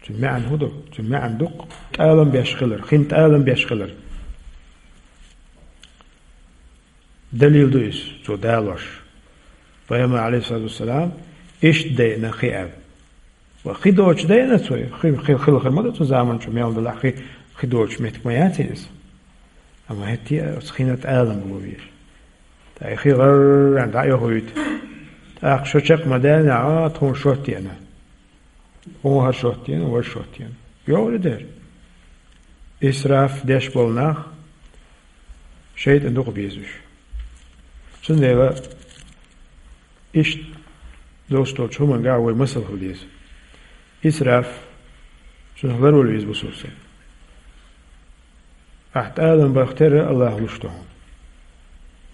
Цуьнан маьӀна хӀун ду? Цуьнан маьӀна ду-кх тӀалам беш хилар, хин тӀалам беш хилар. Далил ду иза, цо далош. Пайхамар, алейхиссалату вассалам, иштта дайна хи аьлла. Ва хи доцуш дайна цо, хи, хи, хила хир ма ду цу заман чу мел далахь хи, хи доцуш меттиг ма яц иза. Амма хӀетте а оцу хина тӀалам бу везаш. ТӀаккха и хи гӀарран дӀа а йохуьйту. ТӀаккха шо чекх ма даьллинехь, а, тхуна шот деана. Хьуна хӀара шот деана, важа шот деана. ЙогӀур и дера. Исраф деш болу нах шайтӀан дукха беза уьш. Цундела иштта долуш долчу хӀуманга вай масал хила деза. Исраф, цунах ларвала веза бусурсен. Ахь тӀалам бах терра Аллаха луш ду хьуна.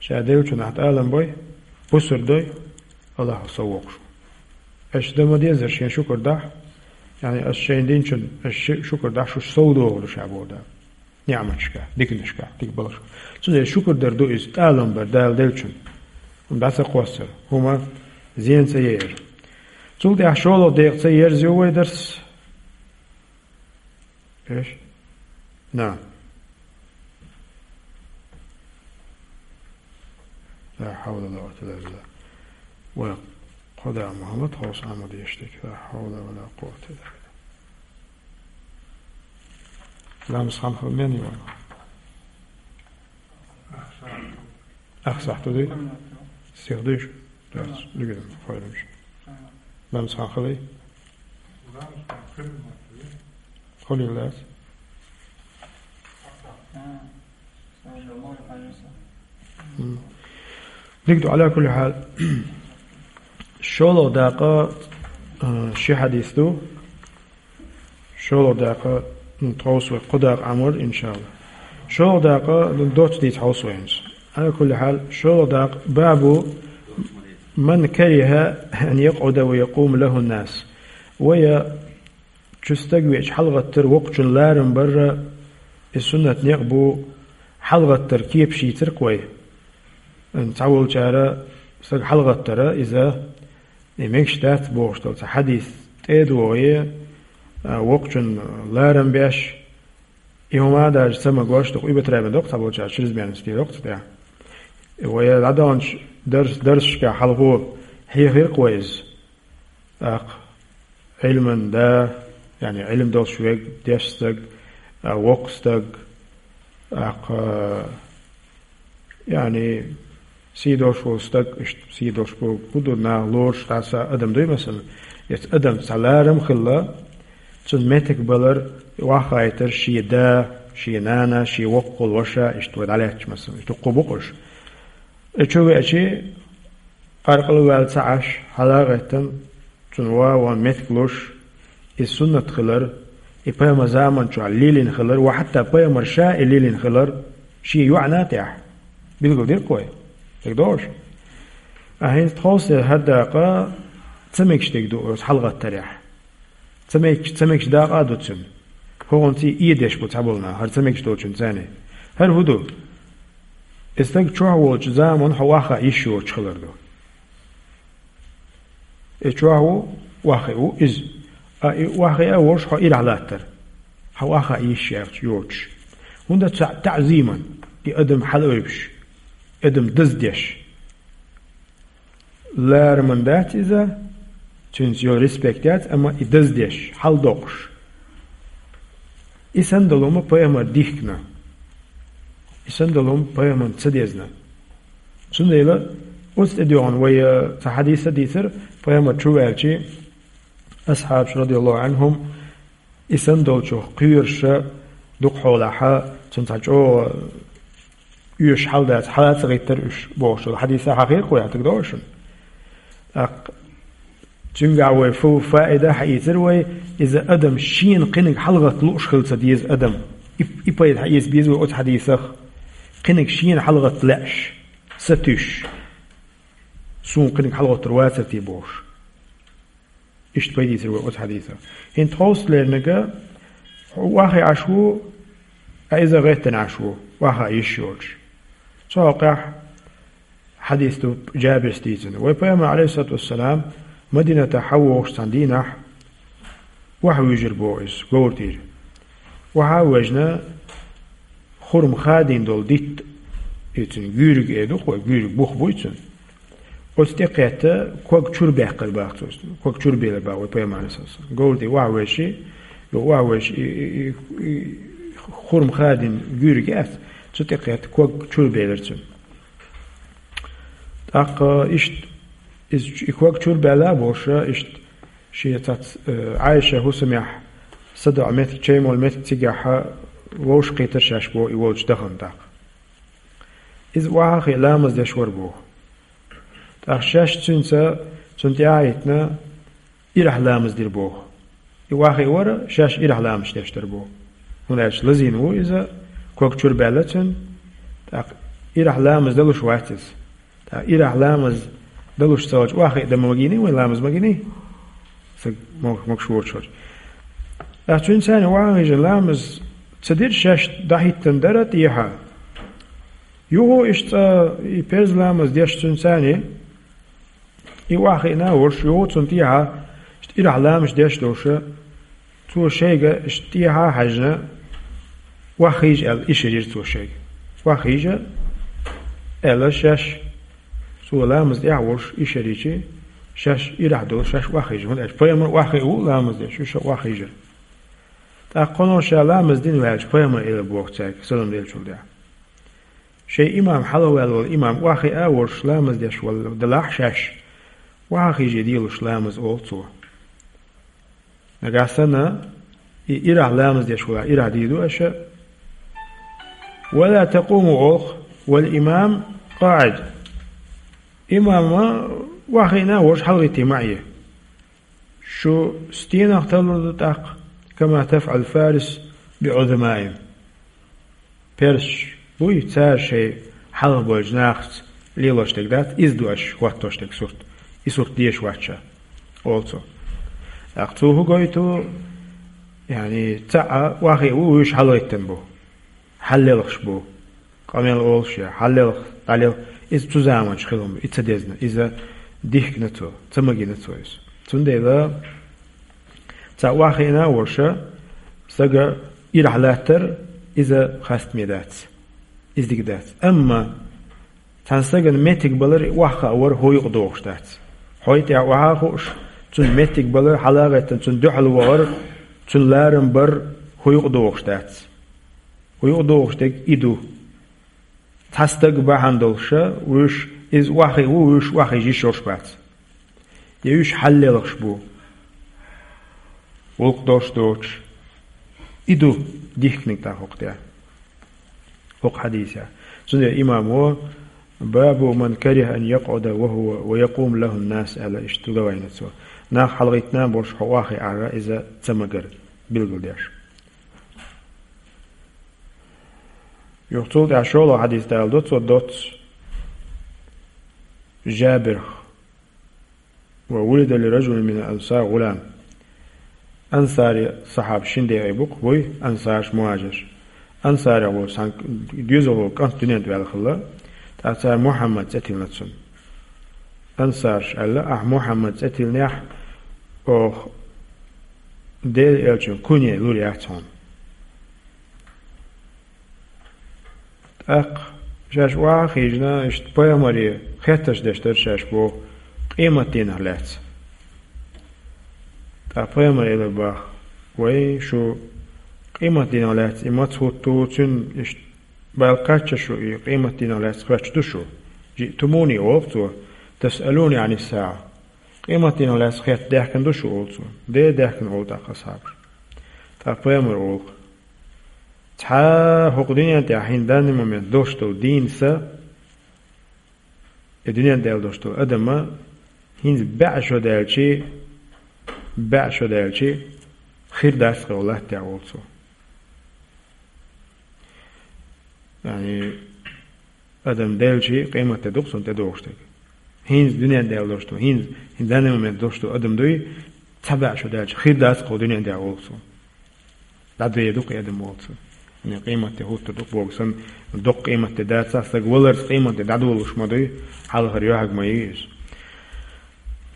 Ша деллачунна ахь тӀалам бой, бусург дой, Аллаха сов воккхуш ву. Аша дан ма дезара шен шукар дахь, яъни аса шайна динчун, аша ши-, шукар дахь, шуьша сов догӀур ду ша боху Дала. НиӀматашка, диканашка, дика балашка. Цундела шукар дар ду иза, тӀалам бар Дала деллачунна. ХӀума дӀа ца кхоссар, хӀума зен ца яар. Цул тӀаьхьа шолгӀа декъа ца ерзайо вай дарс. Эш? На. Ла хьавла ва ла къуввата илла билла. Вай кхо да Мухьаммад хьовса Ахьмад ештиг. Ла хьавла ва ла къуввата илла билла. Ламаз хан хила мен ю вайн? Ах сахьту дий? Стих диш? Дац, дигина, файлаш. Намс хан хали? Холин лац? М. Дигду, ала кулли хьал. ШолгӀа дакъа, а, ши хьадис ду. ШолгӀа дакъа, ну, тховса вай кхо дакъа Ӏамор, иншалла. ШолгӀа дакъа, ну, доцца дийца хьовса вай хӀинца. Ала кулли хьал, шолгӀа дакъа, бабу ман кариха ан якъуда ва якъуму лаху нас. Вай чу стаг веача хьалгӀаттар, вокхачун ларам барра, и суннат некъ бу, хьалгӀаттар кепаш йийцар-кх вай. Цхьаволчара стаг хьалгӀаттара, иза, и мегаш дац бохуш долу цхьа хьадис тӀе а догӀий, а, вокхачун ларам беш, и хӀума даже ца магош, дукха уьбатарабен доккху цхьаболчара чрезмерность доккху цу тӀехь. Вай дӀадаханчу дарс-, дарсашкахь хьалхо хьехира-кх вай иза. ТӀаккха Ӏилман да, яъни Ӏилма долуш верг, дешна стаг, а, воккха стаг, тӀаккха, яъни сий долуш волу стаг, иштта сий долуш бу-, хӀун ду, наха лоруш дӀаса адам дуй, масала, эцу адамца цхьа ларам хилла, цунна меттиг балар, охьахайтар шен да, шен нана, шен воккхал ваша, иштта вай дӀалаьтташ, масала, иштта дуккха бу-кх уьш. И чу веачи, къаркъала ваьлла ца Ӏаш, хьала а гӀеттина, цунна ван-ван меттиг луш, и суннат хилар, и пайхамар заман чохь лелийна хилар, ва хьатта пайхамар ша и лелийна хилар, шен йоӀана тӀехь. Билгал дира-кх вай. Дерг догӀуш? А хӀинца тховса хӀара дакъа ца мегаш дерг ду оцу хьалгӀаттарехь. Ца мегаш, ца мегаш дакъа а ду цуьнан. ХӀокхунца и деш бу цхьаболу нах, хӀара ца мегаш долчуьнца царна. ХӀара хӀун ду? И стаг чохь волчу заманахь хьо охьахаа йиш йоцуш хилар ду. И чохь ву, охьахиъна ву иза. А и охьахиъна а волуш хьо ирахь латтар. Хьо охьахаа йиш яц йоцуш. ХӀунда аьлча таӀзиман, и адам хьалаойбуш, адам даздеш. Лараман дац иза, цуьнца йолу респект яц, амма и даздеш, хьаладоккхуш. И санна долу хӀума пайхамар дихкина. И санна долу хӀума пайхамарна ца дезна. Цундела оцу тӀедоьгӀна вай, э, цхьа хьадис а дийцира, пайхамар чу ваьлча, асхьабаш, радияллаху Ӏанхум, и санна долчух кхоьруш, дукха хьолахь, цунна цхьа чӀогӀа оьшуш хьал дац, хьала а ца гӀиттира уьш, бохуш долу хьадис а хьахийра-кх вай, дерг догӀуш шуна? ТӀаккха цуьнгахь вай фу фаида хьаийцира вай, иза адам шена кхиниг хьалагӀатта лууш хила ца деза адам. И, и пайда хьаэца беза вай оцу хьадисах. Кхиниг шена хьалагӀатта лаьаш, сатуьйсуш. Суна кхиниг хьалагӀоттур вацара те бохуш. Иштта пайда ийцира вай оцу хьадисах. ХӀинца тховса лерниг а, хьо охьахиъна Ӏаш ву, а иза гӀеттина Ӏаш ву, охьахаа йиш йоцуш. Цу хьокъехь хьадис ду Джабирс дийцина. Вай пайхамар, Ӏалайхиссалату вассалам, Мадинатахь хьавогӀуш цхьана дийнахь, охьавуьйжира боху иза, говр тӀера. Охьа а ваьжна, хурма хадийна долу дитт, и цуьнан гуьйриг эр ду-кх вай, гуьйриг бух буй цуьнан. Оцу тӀе кхетта, ког чуьра баьккхира боху цо. Ког чуьра белира боху вай пайхамар, Ӏалайхиссалату вассалам. Говр тӀе охьавуьйжуш, охьавуьйжуш, и, и, и, и хурма хадийна гуьйриг яц, цу тӀе кхетта, ког чуьра белира цуьнан. ТӀаккха иштта, иза чу-, и ког чуьра баьлла а бохуш, иштта шен цац-, э, Ӏайша хӀусамехь садоӀу меттиг, чай молу меттиг цигахь вовшахкхетира шаьш боху и волчу дахана тӀаккха. Иза охьахиъна ламаз деш вара боху. ТӀаккха шаьш цуьнца, цунна тӀаьхьа а хӀиттина, ирахь ламаз дира боху. И охьахиъна вара, шаьш ирахь ламаз деш дара боху. ХӀунда аьлча лазийна ву иза, ког чуьра баьлла цуьнан, тӀаккха ирахь ламаз далуш вац иза. ТӀаккха ирахь ламаз далуш ца хилча, охьахиъна дан ма гиний вай, ламаз ма гиний? Сан мог-, могуш воцуш хилча. ТӀаккха цуьнца цхьаьна охьахиъна ламаз ца дира, шаьш дӀахӀиттина дара тӀехьа. Юха иштта и перз ламаз деш цуьнца цхьаьна, и охьахиъна а волуш, юха цунна тӀехьа иштта ирахь ламаз деш долуш, цо шайга иштта тӀехьа а хьаьжна, охьахиъна аьлла, ишар йира цо шайга. Охьахиъна аьлла шаьш, цо ламаз тӀехь а волуш, ишар йича, шаьш ирахь долуш, шаьш охьахиъна. ХӀунда аьлча пайхамар охьахиъна ву ламаз деш, уьш а охьахиъна. ТӀаккха кхунах ша ламаз дина ваьлча, пайхамар элира боху цаьрга, салам деллачул тӀаьхьа. Шайн имам хьалаваьлла волу имам охьахиъна а волуш ламаз деш волу делахь шаьш, охьахиъна а дийцалуш ламаз олу цо. Нагахь санна и ирахь ламаз деш волахь, ирахь дийр ду аша. «Ва ла такуму», олу, «вал имам къаӀид». Имам а охьахиъна а волуш хьалагӀиттий ма Ӏе. Шу стенах талур ду тӀаккха, «кама тафӀалу фарис би Ӏузамаим». Персаш буй, цара шайн хьалха болчу нахаца лелош дерг дац, иза ду аша хӀоттош дерг сурт. И сурт дезаш вац ша, олу цо. ТӀаккха цо хӀун гойту, яъни, цхьаъ охьахиъна ву, вуьш хьалагӀиттина бу, хьаллелхаш бу. Къамел олуш я, хьаллелха, дӀалелха, иза цу заманчохь хилла ма ду, и ца дезна, иза дихкина цо, ца магийна цо иза. Цундела цхьаъ охьахиъна а волуш, стага ирахь латтар, иза хастаме дац, иза дика дац. Амма цхьана стагана меттиг балар, охьахаа вар хӀун юкъа догӀуш дац. Хьо тӀехь охьа а хууш, цунна меттиг балар, хьала а гӀеттина, цунна дуьхьал вахар, цунна ларам бар хӀун юкъа догӀуш дац. ХӀун юкъа догӀуш дерг и ду. Цхьа стаг бахьана долуш, вуьш иза охьахиъна ву, вуьш охьахиъна йиш йолуш бац. Я вуьш хьаллелхаш бу, гӀуллакх долуш доцуш. И ду дихкинарг тӀаккха хӀокху тӀехь, хӀокху хьадисехь. Цундела имамо: «Бабу ман кариха ан якъуда ва хӀува ва якъуму лахун-нас», аьлла, иштта глава йина цо. Нах хьалагӀиттина а болуш, хьо охьахиъна иза ца магар билгалдеш. Юха цул тӀаьхьа шолгӀа хьадис даладо цо доцца Жабирах: «Ва вулида ли ражулин мин ансар гӀулам». Ансари сахьабаш шина декъе бу-кх, буй, ансараш, мухӀажираш. Ансарех волчу цхьана доьзалхо кӀант дуьнен тӀе ваьлла хилла, тӀаккха цара Мухьаммад цӀе тиллина цунна. Ансараша аьлла: «Ахь Мухьаммад цӀе тиллинехь, оха Делан элчан кунья лур яц хьуна». ТӀаккха шаьш охьа а хиъна, иштта пайхамаре хеттарш деш дара шаьш боху, къематдийнах лаьцна. ТӀаккха пайхамаре элира боху: «Вай, шу къематдийнах лаьцна и маца хӀутту, цуьнан иштта бала кхаьчча шу и къематдийнах лаьцна хоьттуш ду шу? Жиътумуни, олу цо, тасъалуни Ӏанис-саӀа. Къематдийнах лаьцна хетта даьхкина ду шу», олу цо. «Де, даьхкина», олу тӀаккха асхьабаша. ТӀаккха пайхамара олу: «Цхьа хӀокху дуьнен тӀехь хӀинца данный момент долуш долу дийна са, и дуьнен тӀехь долуш долу адам а хӀинца бӀе шо даьлча, бӀе шо даьлча хир дац-кх и латта тӀехь», олу цо. Яъни, адам даьлча, къематде ду-кх цунна тӀедогӀуш дерг. ХӀинца дуьнен тӀехь долуш ду, хӀинца, хӀинца данный момент долуш ду адам дуй, цхьа бӀе шо даьлча хир дац-кх и дуьнен тӀехь, олу цо. ДӀадоьду-кх и адам, олу цо. Къематде хӀуттур ду-кх боху санна, доккха къематде дацахь, стаг валарца къематде дӀадолалуш ма дуй, хьалхара йоьхьарг ма ю иза.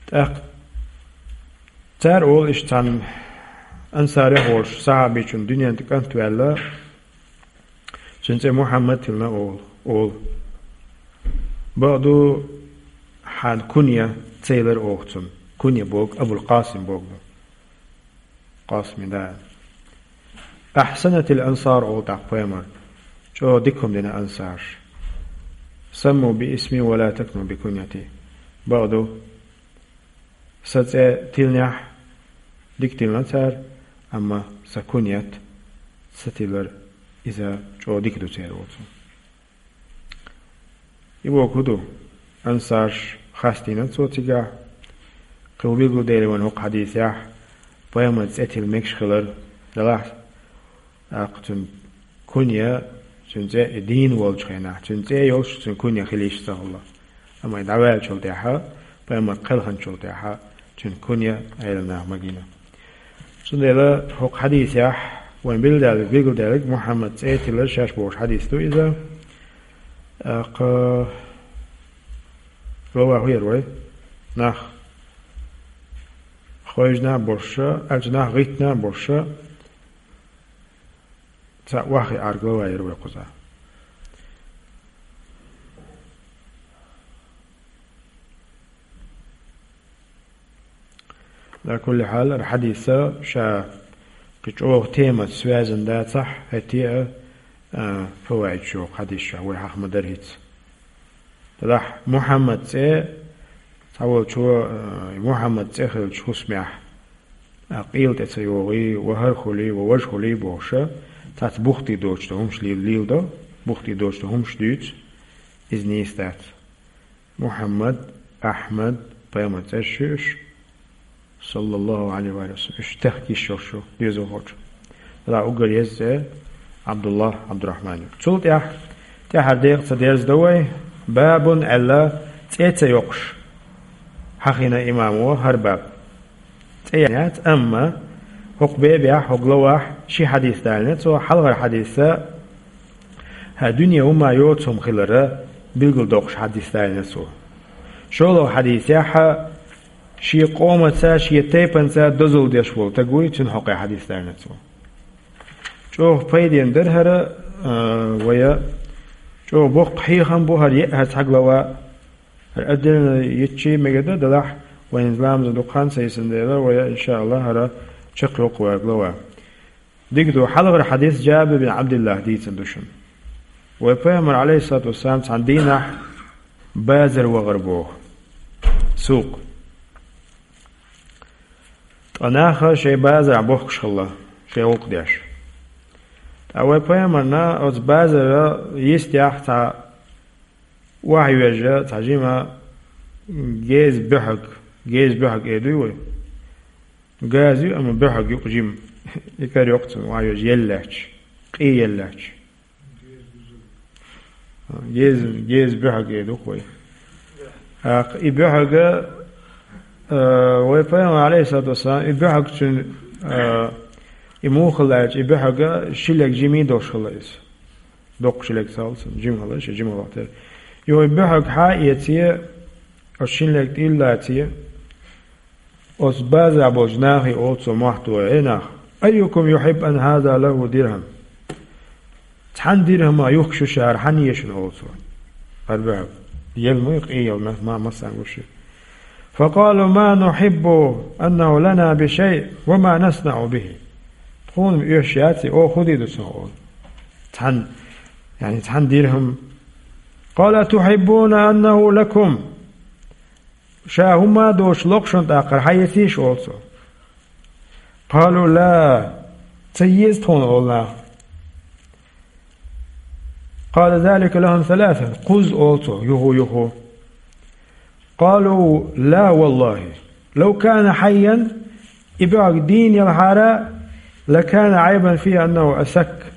ТӀаккха цара олу иштта цхьана ансарех волчу сахьабичун дуьнен тӀе кӀант ваьлла, цуьнан цӀе Мухьаммад тиллина, олу, олу. Бакъду, хьан кунья ца елира оха цунна. Кунья боху, Абул-Къасим боху ду. Къасиман да. «Ахьсанатил ансар», олу тӀаккха пайхамара. ЧӀогӀа дика хӀума дина ансарша. «Самму би исми ва ла такну би куньяти». Бакъду, сан цӀе тиллинехь, дика тиллина цара, амма сан куньят ца тиллар, иза чӀогӀа дика ду церан, олу цо. И бохург хӀун ду? Ансарш хастийна цо цигахь, кхин билгалдели вайн хӀокху хьадисехь, пайхамаран цӀе тилла мегаш хилар, делахь, тӀаккха цуьнан кунья, цуьнан цӀе и дийна волчу хенахь, цуьнан цӀе йолуш, цуьнан кунья хила йиш ца хилла. Амма и дӀаваьллачул тӀаьхьа, пайхамар кхелханчул тӀаьхьа, цуьнан кунья Ӏелам наха магийна. Цундела хӀокху хьадисехь вайн билгалдаьлларг, билгалдаьлларг Мухьаммад цӀе тиллар шаьш бохуш хьадис ду иза. ТӀаккха глава хӀун яра вай? Нах хевшина а болуш, аьлча нах гӀиттина а болуш, цхьаъ охьахиънарг глава яра вай кхузахь. Ала кулли хьал, хӀара хьадис ша кхин чӀогӀа темаца связан дацахь, хӀетте а А, фаваид чу хьадисаш вай хьаха ма дарра хӀинца. Делахь Мухьаммад цӀе, цхьаволчо, а, Мухьаммад цӀе хилча хӀусамехь, а, къел тӀе ца йогӀий, ва хӀара хуьлий, ва важа хуьлий бохуша, цхьацца бухтий доцуш ду хӀумаш лел-, леладо, бухтий доцуш ду хӀумаш дуьйцу, иза нийса дац. Мухьаммад, Ахьмад, пайхамар цӀераш ю уьш, саллаллаху Ӏалайхи ва саллам, уьш тахка йиш йолуш ю доьзалхочун. Делахь уггар еза цӀе Ӏабдуллахь, Ӏабдурахьман ю. Цул тӀаьхьа, тӀаьхьара декъаца дерзадо вай, бабун аьлла, цӀе ца йоккхуш хьахийна имамо хӀара баб. ЦӀе яц, амма хӀокху бебехь, хӀокху главахь ши хьадис далийна цо, хьалхара хьадисца хӀара дуьне хӀумма йоцу хӀума хилар билгалдоккхуш хьадис далийна цо. ШолгӀа хьадисехь шен къомаца, шен тайпанца дозалла деш волу стаг вуй, цуьнан хьокъехь хьадис далийна цо. ЧӀогӀа пайденна дара хӀара, а, вай, чӀогӀа боккха хьехам бу хӀара, е-, хӀара цхьа глава. ХӀара отдельно йитча мегар ду, делахь вайн ламазан дукха хан ца йисина дела, вай, иншааллахӀ, хӀара чекхйоккху вай глава. Дика ду, хьалхара хьадис Джабир бин Ӏабдиллахь дийцина ду шуна. Вай пайхамар, Ӏалайхиссалату вассалам, цхьана дийнахь базар вахар боху. Сук. Ткъа нах шайн базарахь бохкуш хилла, шайн гӀуллакх деш. Ткъа вай пайхамарна оцу базара йистехь цхьа охьайоьжна цхьа жима геза буьхьаг, геза буьхьаг эр дуй вай? Газа ю, амма буьхьаг юкъа жима. И кара йоккху цунна, охьайоьжна елла лаьтташ, къе елла лаьтташ. Геза, геза буьхьаг эр ду-кх вай. ТӀаккха и буьхьаг, а, вай пайхамар, Ӏалайхиссалату вассалам, и буьхьаг цуьнан, а, и муха хилла аьлча, и буьхьаг ши лерг жимий долуш хилла иза. Доккха ши лерг ца хилла цуьнан, жима хилла, ши жима вахтара. Юха и буьхьаг хьа а эций, оцу шина лерга тӀе а лаций, оцу базарахь болчу нахе олу цо, мохь тухий: «Эй нах, айюкум юхьиббу ан хаза лаху дирхам?» Цхьана дирхамах юхкуш ю ша хӀара, хьан еза шуна, олу цо. ХӀара буьхьаг. Елла ма ю, къе елла, ма-, ма-, массарна гуш ю. Факъалу: «Ма нухьиббу аннаху лана бишай, ва ма наснаӀу бихи». Тхуна-м оьшуш яц и, оха хӀун дийр ду цунах, олу. Цхьана, яъни цхьана дирхам. Къала: «Атухьиббуна аннаху лакум?» Ша хӀумма а доцуш ло-кх шуна тӀаккха хӀара, хьан езий ша, олу цо. Къалу: «Ла, ца еза тхуна», олу наха. Къала залика лахум саласан, кхузза олу цо, юху-юху. Къалу: «Ла валлахи, лав кана хьайян», и буьхьаг дийна елхьара, «лакана Ӏайбан фихи аннаху асак».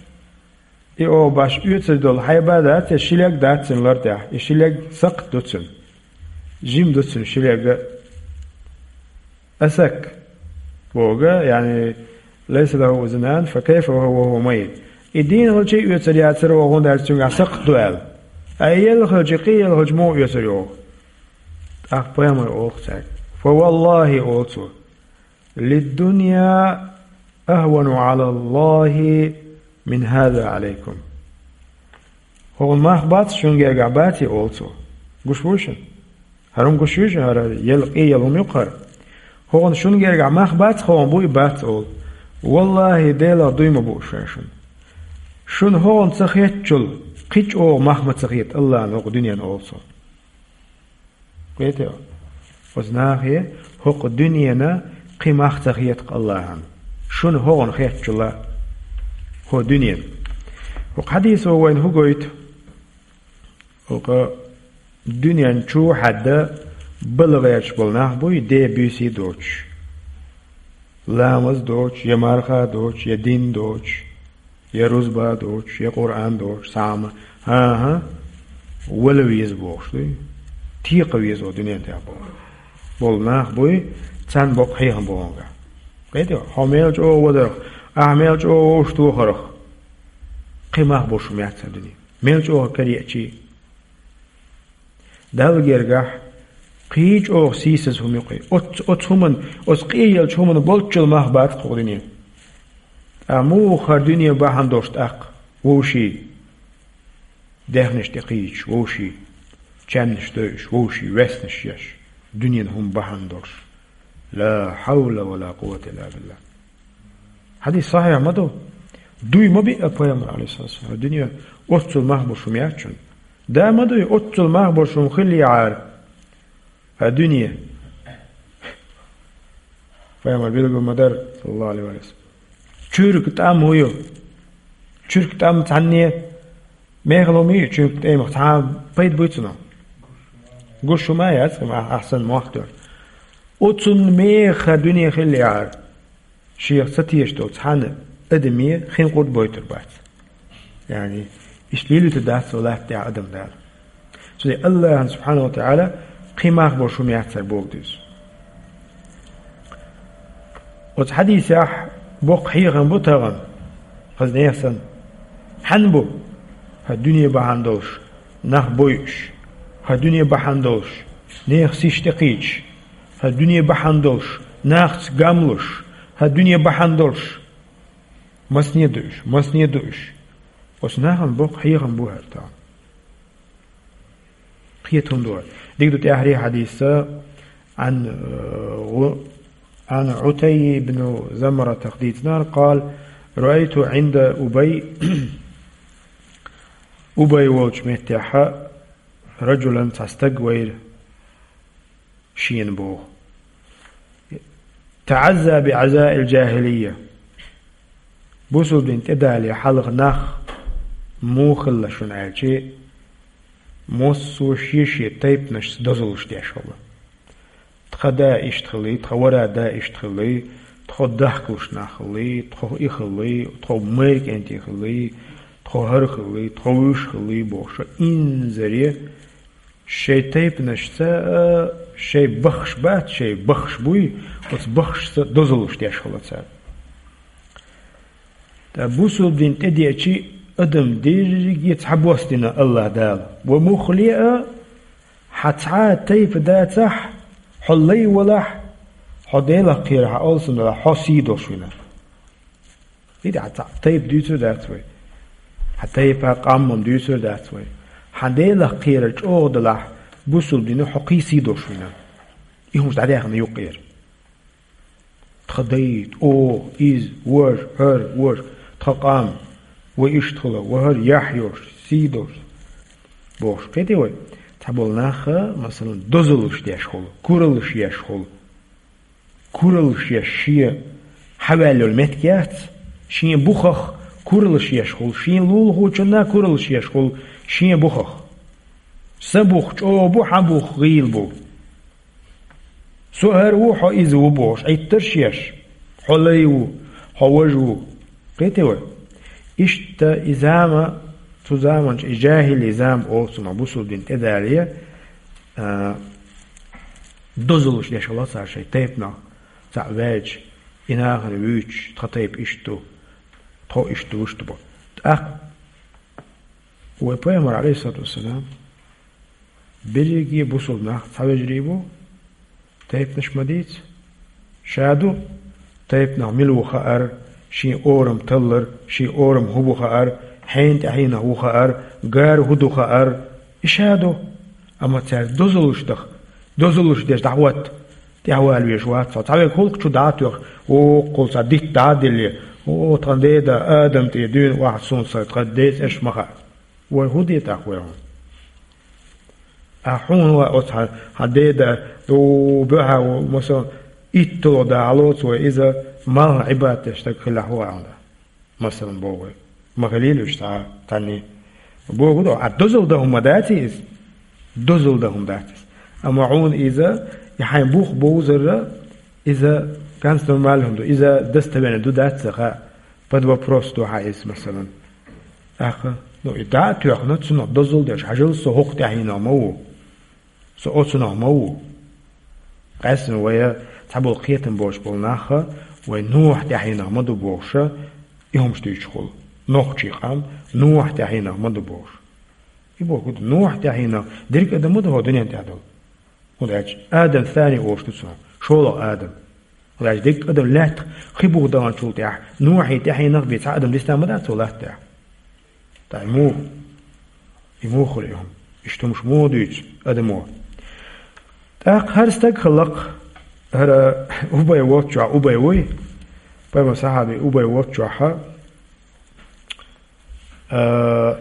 И оха баш оьцур долу хьайба дац, я ши лерг дац цуьнан лар тӀехь, и ши лерг сакхт ду цуьнан. Жима ду цуьнан ши лерг а. Асак боху, яъни, лайса лаху узунан, фа кайфа ва хува майит. И дийна хилча а оьцур яцара оха, хӀунда аьлча цуьнгахь сакхт ду аьлла. Ткъа и елла хилча, къе елла хилча муха оьцур ю оха? ТӀаккха пайхамар олу-кх цаьрга: «Фа валлахи, олу цо, лиддунья ахвану Ӏала Аллахи мин хаза Ӏалайкум». ХӀокхуьнан мах бац шуна гергахь, баций, олу цо. Гуш вуй шуна? ХӀара хӀума гуш вуй шуна, хӀара елла, къе елла хӀума ю-кх хӀара. ХӀокхуьнан шуна гергахь мах бац, хӀокхуьнан буй, бац, олу. Валлахи, Делах дуй ма бу шуна. Шуна хӀокхуьнан ца хетачул кхин чӀогӀа мах ма ца хета Аллахьан хӀокху дуьненан, олу цо. Кхетий? Оцу нахе хӀокху дуьненан кхин мах ца хета-кх Аллахьан, шуна хӀокхуьнан хетачул, хӀокху дуьненан. ХӀокху хьадисо вайна хӀун гойту? ХӀокху дуьнен чу хьаьдда бала гӀерташ болу нах буй, ден буьйсий доцуш. Ламаз доцуш, я марха доцуш, я дин доцуш, я рузба доцуш, я Къуръан доцуш, цхьа а ма, хӀан-хӀа, вала веза бохуш дуй, текха веза дуьнен тӀехь боху. Болу нах буй, царна боккха хьехам бу хьуна. Кхетий, хьо мел чӀогӀа вадарх, ахь мел чӀогӀа вовшахтохарх, кхин мах бу шу меттан дуьне. Мел чӀогӀа караеачий. Далла гергахь кхин чӀогӀа сийсаза хӀума ю-кх и. Оц-, оцу хӀуман, оцу къе еллачу хӀуман болччул мах бац-кх хӀокху дуьне. Ткъа муха хӀара дуьне бахьана долуш тӀаккха вовшийн даьхнаш тӀекхийдаш, вовшийн чаьмнаш дойуш, вовшийн веснаш еш, дуьненан хӀума бахьана долуш? Ла хьавла ва ла къуввата илла биллахӀ. Хьадис сахьихь ма ду? Дуй ма биъ пайхамар, алейхиссалату вассалам, дуьне оццул мах бу шума яц шуна. Да ма дуй, оццул мах бу шума хилла яхьара. А дуьне. Пайхамар билгал ма дара, саллаллаху алейхи ва саллям. Чуьрк тӀам хӀу ю? Чуьрк тӀам цхьанне мехала хӀу ма йий, чуьрк тӀемах цхьа пайда буй цунах? Гуш хӀу ма яц, ма ахсан мохтар. Оцун меха дуьне хилла яхьара. Шех ца тешаш долу цхьана адаме хин къурд бойтур бац. Яъни, иштта лелуьйтур дац цо латта тӀехь адам Дала. Цундела Аллахьан, субхьанаху ва таӀала, кхин мах бу шума яцара боху дуьйцу. Оцу хьадисехь боккха хьехам бу тахана, хаза нехан санна. Хьан бу? ХӀара дуьне бахьана долуш, нах бойуш, хӀара дуьне бахьана долуш, нехан сиш тӀекхийдаш, хӀара дуьне бахьана долуш, нахаца гамлуш, хӀара дуьне бахьана долуш. Масне ду уьш, масне ду уьш. Оцу нахана боккха хьехам бу хӀара тахана. Кхета хӀун ду хӀара? Дика ду тӀаьххьара хьадиса, Ӏан, э, гӀу-, Ӏан Ӏутайй ибн Замратах дийцинарг, къала: «Раайту Ӏинда Убай». Убай волчу меттехьа раджулан, цхьа стаг вайра. Шена боху: «ТаӀазза би Ӏазаил джахилийя». Бусулба дин тӀедале хьалха нах муха хилла шуна аьлчи, массо а шен-шен тайпанашца дозаллаш деш хилла. Тхан да иштта хилла, тхан вара да иштта хилла, тхо дахкалуш нах хилла, тхо и хилла, тхо майра кӀентий хилла, тхо хӀара хилла, тхо вуьш хилла бохуш, инзаре шайн тайпанашца, а, шайн баххаш бац, шайн баххаш буй, оцу баххашца дозаллаш деш хилла цара. Ткъа бусулба дин тӀедеачи, адам дерриге цхьабосс дина Аллахь Дала. Ва муххале а, хьан цхьа а тайпа дацахь, хьо лай валахь, хьо Делах кхерар хьан алсам далахь, хьо сий долуш вина. ХӀинца хьан цхьа тайпа дуьйцур дац вай. Хьан тайпа, къам-м дуьйцур дац вай. Хьан Делах кхерар чӀогӀа далахь, бусулба дина хьо кхин сий долуш вина. И хӀумаш дӀадаьхна юккъера. Тхан дай, оха, иза, важа, хӀара, важа, тхан къам, вай иштта хилла, вай хӀара яхь йолуш, сий долуш. Бохуш, кхетий вай? Цхьаболу наха, масалан, дозаллаш деш хуьлу, кураллаш еш хуьлу. Кураллаш еш шен хьаваьлла йолу меттиг яц, шен бухах кураллаш еш хуьлу, шен лулахочунна кураллаш еш хуьлу, шен бухах. Сан бух чӀогӀа бу, хьан бух гӀийла бу. Со хӀара ву, хьо иза ву бохуш, Ӏиттарш еш. Хьо лай ву, хьо важа ву. Кхетий вай? Иштта и зама, цу заманчу и жахӀили зама олу цунах, бусулба дин тӀедале, а, дозаллаш деш хилла цара шайн тайпанах, цхьаъ ваьлча, и нахана вуьйцуш, тхан тайпа иштта ду, тхо иштта ду, вуьшта бо. ТӀаккха вай пайхамар, алейхиссалату вассалам, берриге бусулба нах цхьа вежарий бу, тайпанаш ма дийца. Ша ду, тайпанах мила ву хаар, шен орам таллар, шен орам хӀун бу хаар, хьенан тӀаьхьенах ву хаар, гара хӀун ду хаар, и ша ду. Амма цаьрца дозаллаш даха, дозаллаш деш дӀахӀотта, тӀаьхьавала везаш вац хьо. Цхьаверг хӀуллакх чу дӀа а тоьхна, воккхул цхьа дитт дӀа а делле, о, тхан деда Адам тӀе дуьйна охьа суна сан, тхан ден цӀераш ма хаьа. Вай хӀун де тӀаккха вай хьуна? А хьуна вай оцу хьан, хьан деда, о, буьхьа, о, масалан, итталгӀа да хьалоцу вай иза, малхан Ӏибадат деш стаг хилахь вай хьуна. Масалан, боху вай. Ма хилийла уьш цхьа, цхьанне. Боху ду, а дозалла дан хӀума дац иза? Дозалла дан хӀума дац иза. Амма хьуна иза, и хьайн бух бовзарра, иза ганц нормально хӀума ду, иза достоверно ду дац ца хаьа. Под вопрос ду хьан иза, масалан. ТӀаккха, ну, и дӀа а тоьхна, цунах дозалла деш, хьажал, со хӀокху тӀаьхьенах ма ву. Со оцунах ма ву. Къаьсттина вай цхьаболу кхетам боцуш болу нах, вай Нухь тӀаьхьенах ма ду бохуша, и хӀумаш дуьйцуш хуьлу. Нохчийн къам Нухь тӀаьхьенах ма ду бохуш. И боху ду, Нухь тӀаьхьенах дерриг адам ма ду хӀокху дуьнен тӀехь долу. ХӀунда аьлча Адам сани олуш ду цунах, шолгӀа Адам. ХӀунда аьлча дерриг адам лаьттах хи буха даханчул тӀаьхьа Нухьий тӀаьхьенах бен цхьа адам дисна ма дац цо латта тӀехь. ТӀаккха и муха? И муха хуьлу и хӀума? Иштта хӀумаш муха дуьйцу адамо? ТӀаккха хӀара стаг хилла-кх, хӀара Убай воцучохь, Убай вуй, пайхамаран сахьаби Убай воцучохь, А,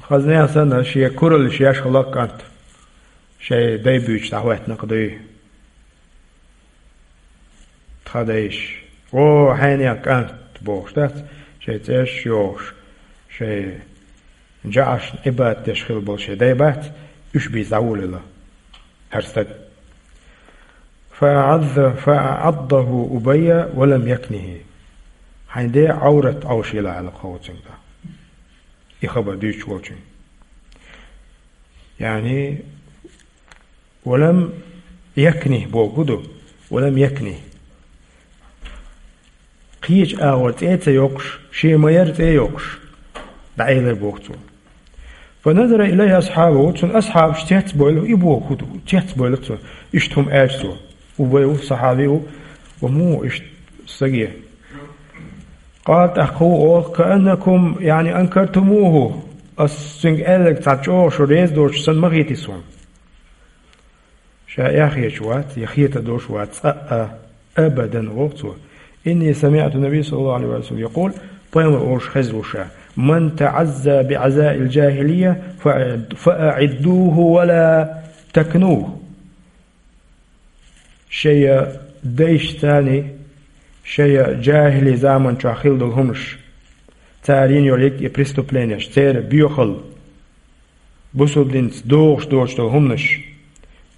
хазна санна, шен куралаш еш хилла кӀант. Шоай дай буьйцуш дӀахӀоьттина кхы дуй. Тха дайша. О, хьенех кӀант бохуш дац, шоай цӀераш йохуш, шоай жаӀаршна Ӏибадат деш хилла болу шоай дай бац, уьш бийца дӀаволавелла хӀара стаг. فأعض-، فأعضه أبي ولم يكنه. Хьайн ден Ӏоврат Ӏовшийла аьлла кхо цуьнга. И хабар дуьйцуш волчуьнга. Яъни, ولم يكنه боху ду, ولم يكنه. Кхечу агӀор цӀе а ца йоккхуш, шен ма-ярра цӀе а йоккхуш, дӀаэлира боху цо. فنظر إليه أصحابه, цуьнан асхьабаш цецбойла, и боху хӀун ду, цецбойла цо, иштта хӀума аьлча цо. Убай ву, сахьаби ву, ва муха иштта стаге. قال, тӀаккха ву олу, كأنكم, يعني, أنكرتموه, ас цуьнга аьлларг цхьа чӀогӀа шу реза доцуш санна ма хийтий суна. Ша эхь хеташ вац, я хета долуш вац, цкъа а, абадан, боху цо. إني سمعت النبي صلى الله عليه وسلم يقول, пайхамар олуш хезна ву ша: من تعزى بعزاء الجاهلية فأعد-، فأعدوه ولا تكنوه. Шайн дайшцаний, шайн жахӀили заман чохь хилла долу хӀуманаш, цара йина йолу йолу и преступлениеш, церан боьхалла, бусалба динца догӀуш доцуш долу хӀуманаш,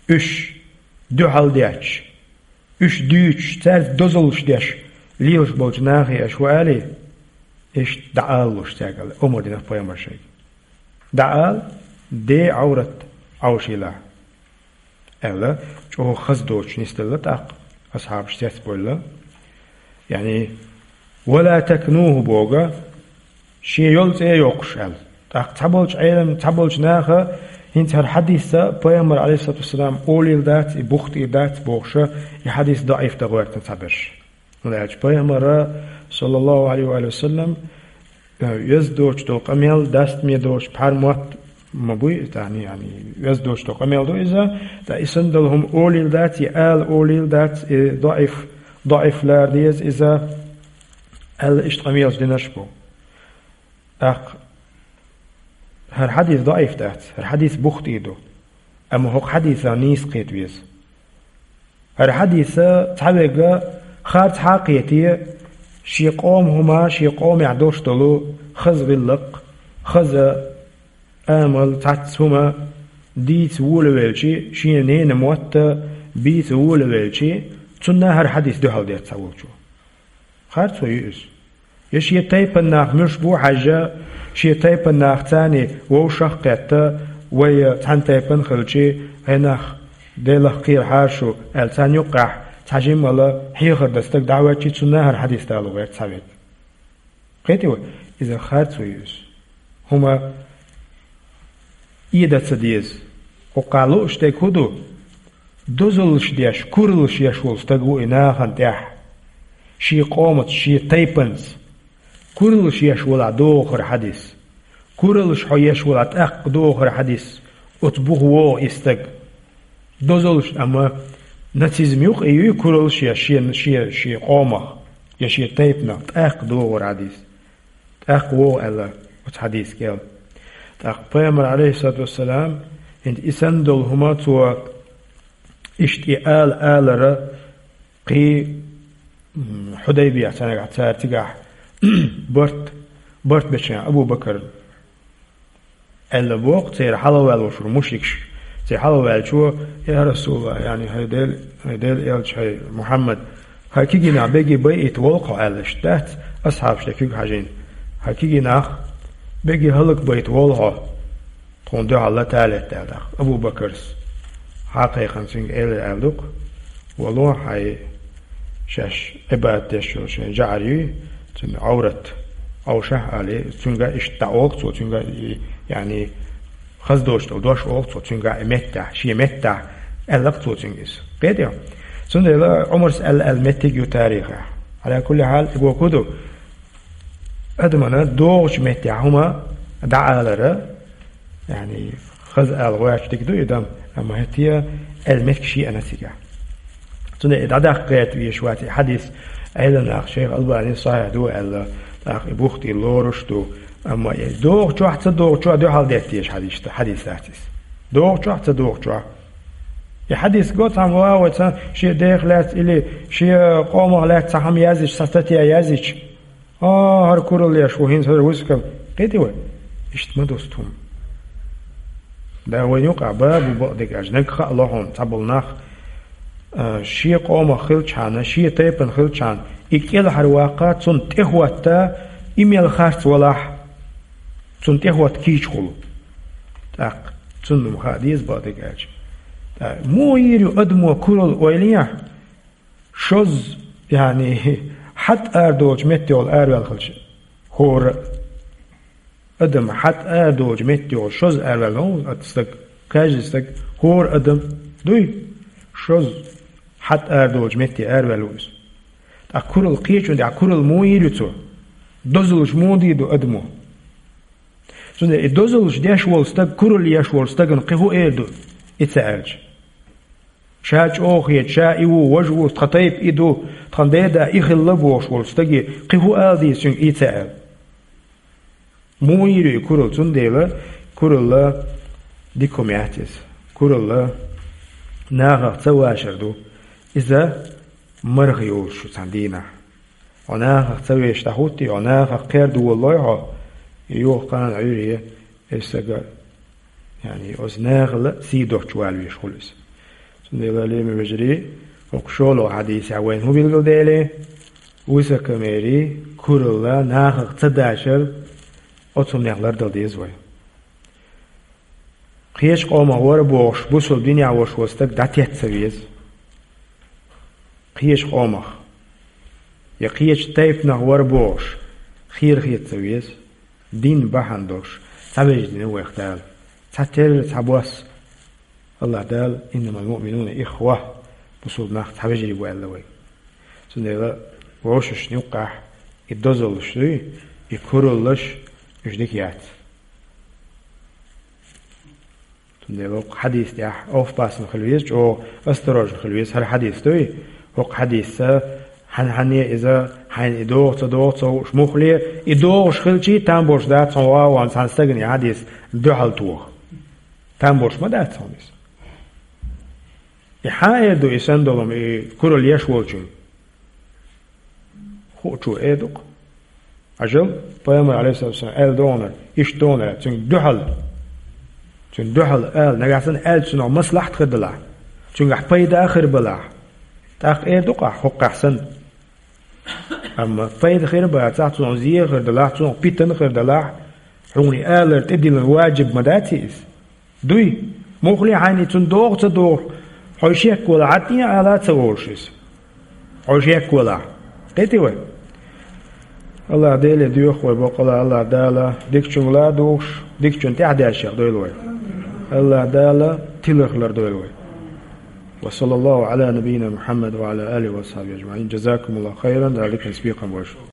уьш дуьхьал детташ, уьш дуьйцуш, цаьрца дозаллаш деш лелаш болчу нахе аша хӀун алий, иштта дӀаалалуш цаьрга аьлла, омра дина пайхамар шайга. ДӀаала, ден Ӏоврат Ӏовшийла, аьлла, чӀогӀа хаза доцуш нисделла тӀаккха, асхьабаш цецбойла. Яъни, ولا تكنوه боху, шен йолу цӀе а йоккхуш аьлла. ТӀаккха цхьаболчу Ӏелам, цхьаболчу наха хӀинца хӀара хьадисца пайхамар, Ӏалайхиссалату вассалам, олийла дац, и бухтийла дац бохуша, и хьадис даӀиф дан гӀоьртина цхьаберш. ХӀунда аьлча пайхамара, саллаллаху Ӏалайхи ва саллам, веза доцуш долу къамел, дастаме доцуш пхьар мотт ма буй, тахана, яъни, веза доцуш долу къамел ду иза, ткъа и санна долу хӀума олийла дац, и ала олийла дац, и даӀиф, даӀиф лара деза иза, аьлла, иштта къамелаш динарш бу. ТӀаккха хӀара хьадис даӀиф дац, хӀара хьадис бухтий ду, амма хӀокху хьадисах нийса кхета веза. ХӀара хьадиса цхьаверг харц хьакхете, шен къоман хӀума, шен къомехь долуш долу хаза гӀиллакх, хаза амал, цхьацца хӀума дийца волавелчи, шен ненан мотт а бийца волавелчи, цунна хӀара хьадис дуьхьал деш ца волчо. Харцо ю иза. Я шен тайпан нах муьлш бу хьаьжжа, шен тайпан нах царний вовшах а кхетта, вай цхьана тайпан хилчи, хьенах Делах кхерахьара шу, аьлла, царна юккъехь цхьа жимма а хьехар дан стаг дӀахӀоьттичи, цунна хӀара хьадис дало гӀерта цхьаверг. Кхетий вай? Иза харцо ю иза. ХӀума эда ца деза. Кхукхахь лууш дерг хӀун ду? Дозаллаш деш, кураллаш еш волу стаг ву и нахана тӀехь. Шен къомаца, шен тайпанца. Кураллаш еш волахь догӀу хӀара хьадис. Кураллаш хьо еш волахь тӀаккха догӀу хӀара хьадис. Оцу буха вогӀу и стаг. Дозаллаш, амма нацизм юкъа и юй кураллаш еш шен, шен, шен къомах, я шен тайпанах, тӀаккха догӀу хӀара хьадис. ТӀаккха вогӀу аьлла оцу хьадис кӀел. ТӀаккха пайхамар, Ӏалайхиссалату вассалам, хӀинца и санна долу хӀума цо иштта и ала алара кхин, м, Хьудайбия цхьа нагахь цара цигахь барт, барт бечу Абу Бакар аьлла боху, церан хьалаваьлла волуш вара мушрикаш. Церан хьалаваьллачо: «Я Расулаллах, яъни, хӀай Дел-, хӀай Делан элча, хӀай Мухьаммад, хӀай кегий нах бегий байийта волу хьо», аьлла, иштта дац, асхьабаш тӀе куьг хьажийна. «ХӀай кегий нах бегий хӀаллакбайта волу хьо, тхуна дуьхьал латалетта», аьлла тӀаккха. Абу Бакарс хьакхайкхина цуьнга элира аьлла ду-кх: «Вало, хьайн шаьш Ӏибадат деш йолу шайн жаӀар юй, цуьнан Ӏоврат Ӏовшахь», аьлла, цуьнга иштта дӀаолу цо, цуьнга, яъни, хаза доцуш долу дош олу цо цуьнга и меттехь, шен меттехь, аьлла-кх цо цуьнга иза. Кхетий хьо? Цундела Ӏумарс аьлла, аьлла меттиг ю тарихехь. Ӏала кулли хьал, и боху ду, адамана догӀучу меттехь хӀума дӀаалара, яъни, хаза ала гӀоьртича дика ду и дан, амма хӀетте а аьлла меттиг шен а ца гахь. Цундела и дӀадаккха гӀерта везаш вац и хьадис, Ӏелам наха шайх Албанис сахьихь ду аьлла, тӀаккха и бухтий лоруш а ду, Амма э, догӀучохь, ца догӀучохь дуьхьал деттеш хьадис, хьадис дац иза. ДогӀучохь, ца догӀучохь. И хьадис го цхьамма вагӀа вай цхьа шен дех лаьцна или шен къомах лаьцна цхьа хӀума язйича, цхьа статья язйича, а, хӀара куралла еш ву, хӀинца хӀара вусакам. Кхетий вай? Иштта ма ду хӀума. Да вайн юкъахь бабу бакъдерг аьлча, нагахь а ло хьуна, цхьаболу нах, а, шен къомах хилчхьана, шен тайпана хилчхьана, и кӀелхьарваккха, цунна тӀехӀотта, и мел харц валахь, цунна тӀехӀотта кийча хуьлу. ТӀаккха цунна-м хаа деза бакъдерг аьлча. ТӀаккха муха йийр ю адамо куралла, ойла е, шозза, яъни, хьатӀа арадолчу меттехула араваьлла хилча, хӀора а. Адам хьатӀа арадолчу меттехула шозза араваьлла ма ву стаг, каждый стаг, хӀора адам, дуй? Шозза хьатӀа арадолчу метте араваьлла ву иза. ТӀаккха куралла кхечунна тӀехь куралла муха йийр ю цо? Дозаллаш муха дийр ду адамо? Цундела и дозаллаш деш волу стаг, куралла еш волу стагана кхин хӀун эр ду, и ца аьлча? Ша чӀогӀа хета, ша и ву, важа ву, тхан тайпа и ду, тхан деда и хилла бохуш волу стаге кхин хӀун ала деза цуьнга, и ца аьлла? Муха йийр ю и куралла? Цундела куралла дика хӀума яц иза. Куралла нахах ца вашар ду. Иза марха йолуш ю цхьана дийнахь. Хьо нахах ца вешаш дӀахӀуттий, хьо нахах кхердалой хьо, и юха кхана Ӏуьйре, и стага, яъни, оцу нахала сий доцуш вала везаш хуьлу иза. Цундела, лераме вежарий, хӀокху шолгӀа хьадисехь вайна хӀун билгалдаьлла? Высокомерие, куралла, нахах ца дашар, оцу хӀуманех лардала деза вай. Кхечу къомах вара бохуш, бусалба динехь волуш волу стаг дӀатетта ца веза. Кхечу къомах, я кхечу тайпанах вара бохуш, хера хета ца веза. Дин бахьана долуш, цхьа вежарий дина вайх Дала. Цхьатерра цхьа бос. АллахӀ Дала: «Иннамал муъминуна ихва», бусалба нах цхьа вежарий бу аьлла вайга. Цундела вовшашна юккъехь и дозаллаш дуй, и кураллаш, уьш дика яц. Цундела хӀокху хьадис тӀехь овхӀпассам хила веза, чӀогӀа осторожно хила веза. ХӀара хьадис дуй, хӀокху хьадисца хьан-, хьанне иза, хьайна и догӀу ца догӀу ца хууш, муххале, и догӀуш хилчий, там болуш дац хьуна ван цхьана стагана и хьадис дуьхьал тоха. Там болуш ма дац хьуна иза. И хьан эр ду и санна долу хӀума, и куралла еш волчуьнга? Хуучо эр ду-кх. Хьажал, пайхамар, алейхиссалату вассалам, аьлла догӀунара, иштта догӀунара, цуьнга дуьхьал. Цуьнга дуьхьал ала, нагахь санна аьлча цунах маслахьат хир далахь, цуьнгахь пайда а хир балахь, тӀаккха эр ду-кх ахь хӀокхахь санна. Амма пайда хир бацахь, цунах зен хир далахь, цунах питана хир далахь, хьуна и алар тӀедиллина ваджиб ма дац иза? Дуй, муххале хьайна цунна догӀу ца догӀу, хьо шек вала, хьан тӀе а ала ца волуш иза. Хьо шек валахь. Кхетий вай? АллахӀ Деле доьху вай бакъала, АллахӀ Дала дикачуьнга ладугӀуш, дикачунна тӀаьхьадаьржех дойла вай. АллахӀ Дала тиларх лардойла вай. Ва саллаллаху Ӏала набийина Мухьаммад ва Ӏала алихи ва асхьабихи ажмаӀин. Джазакумуллаху хайран, Дала диканца бекхам бойла шун.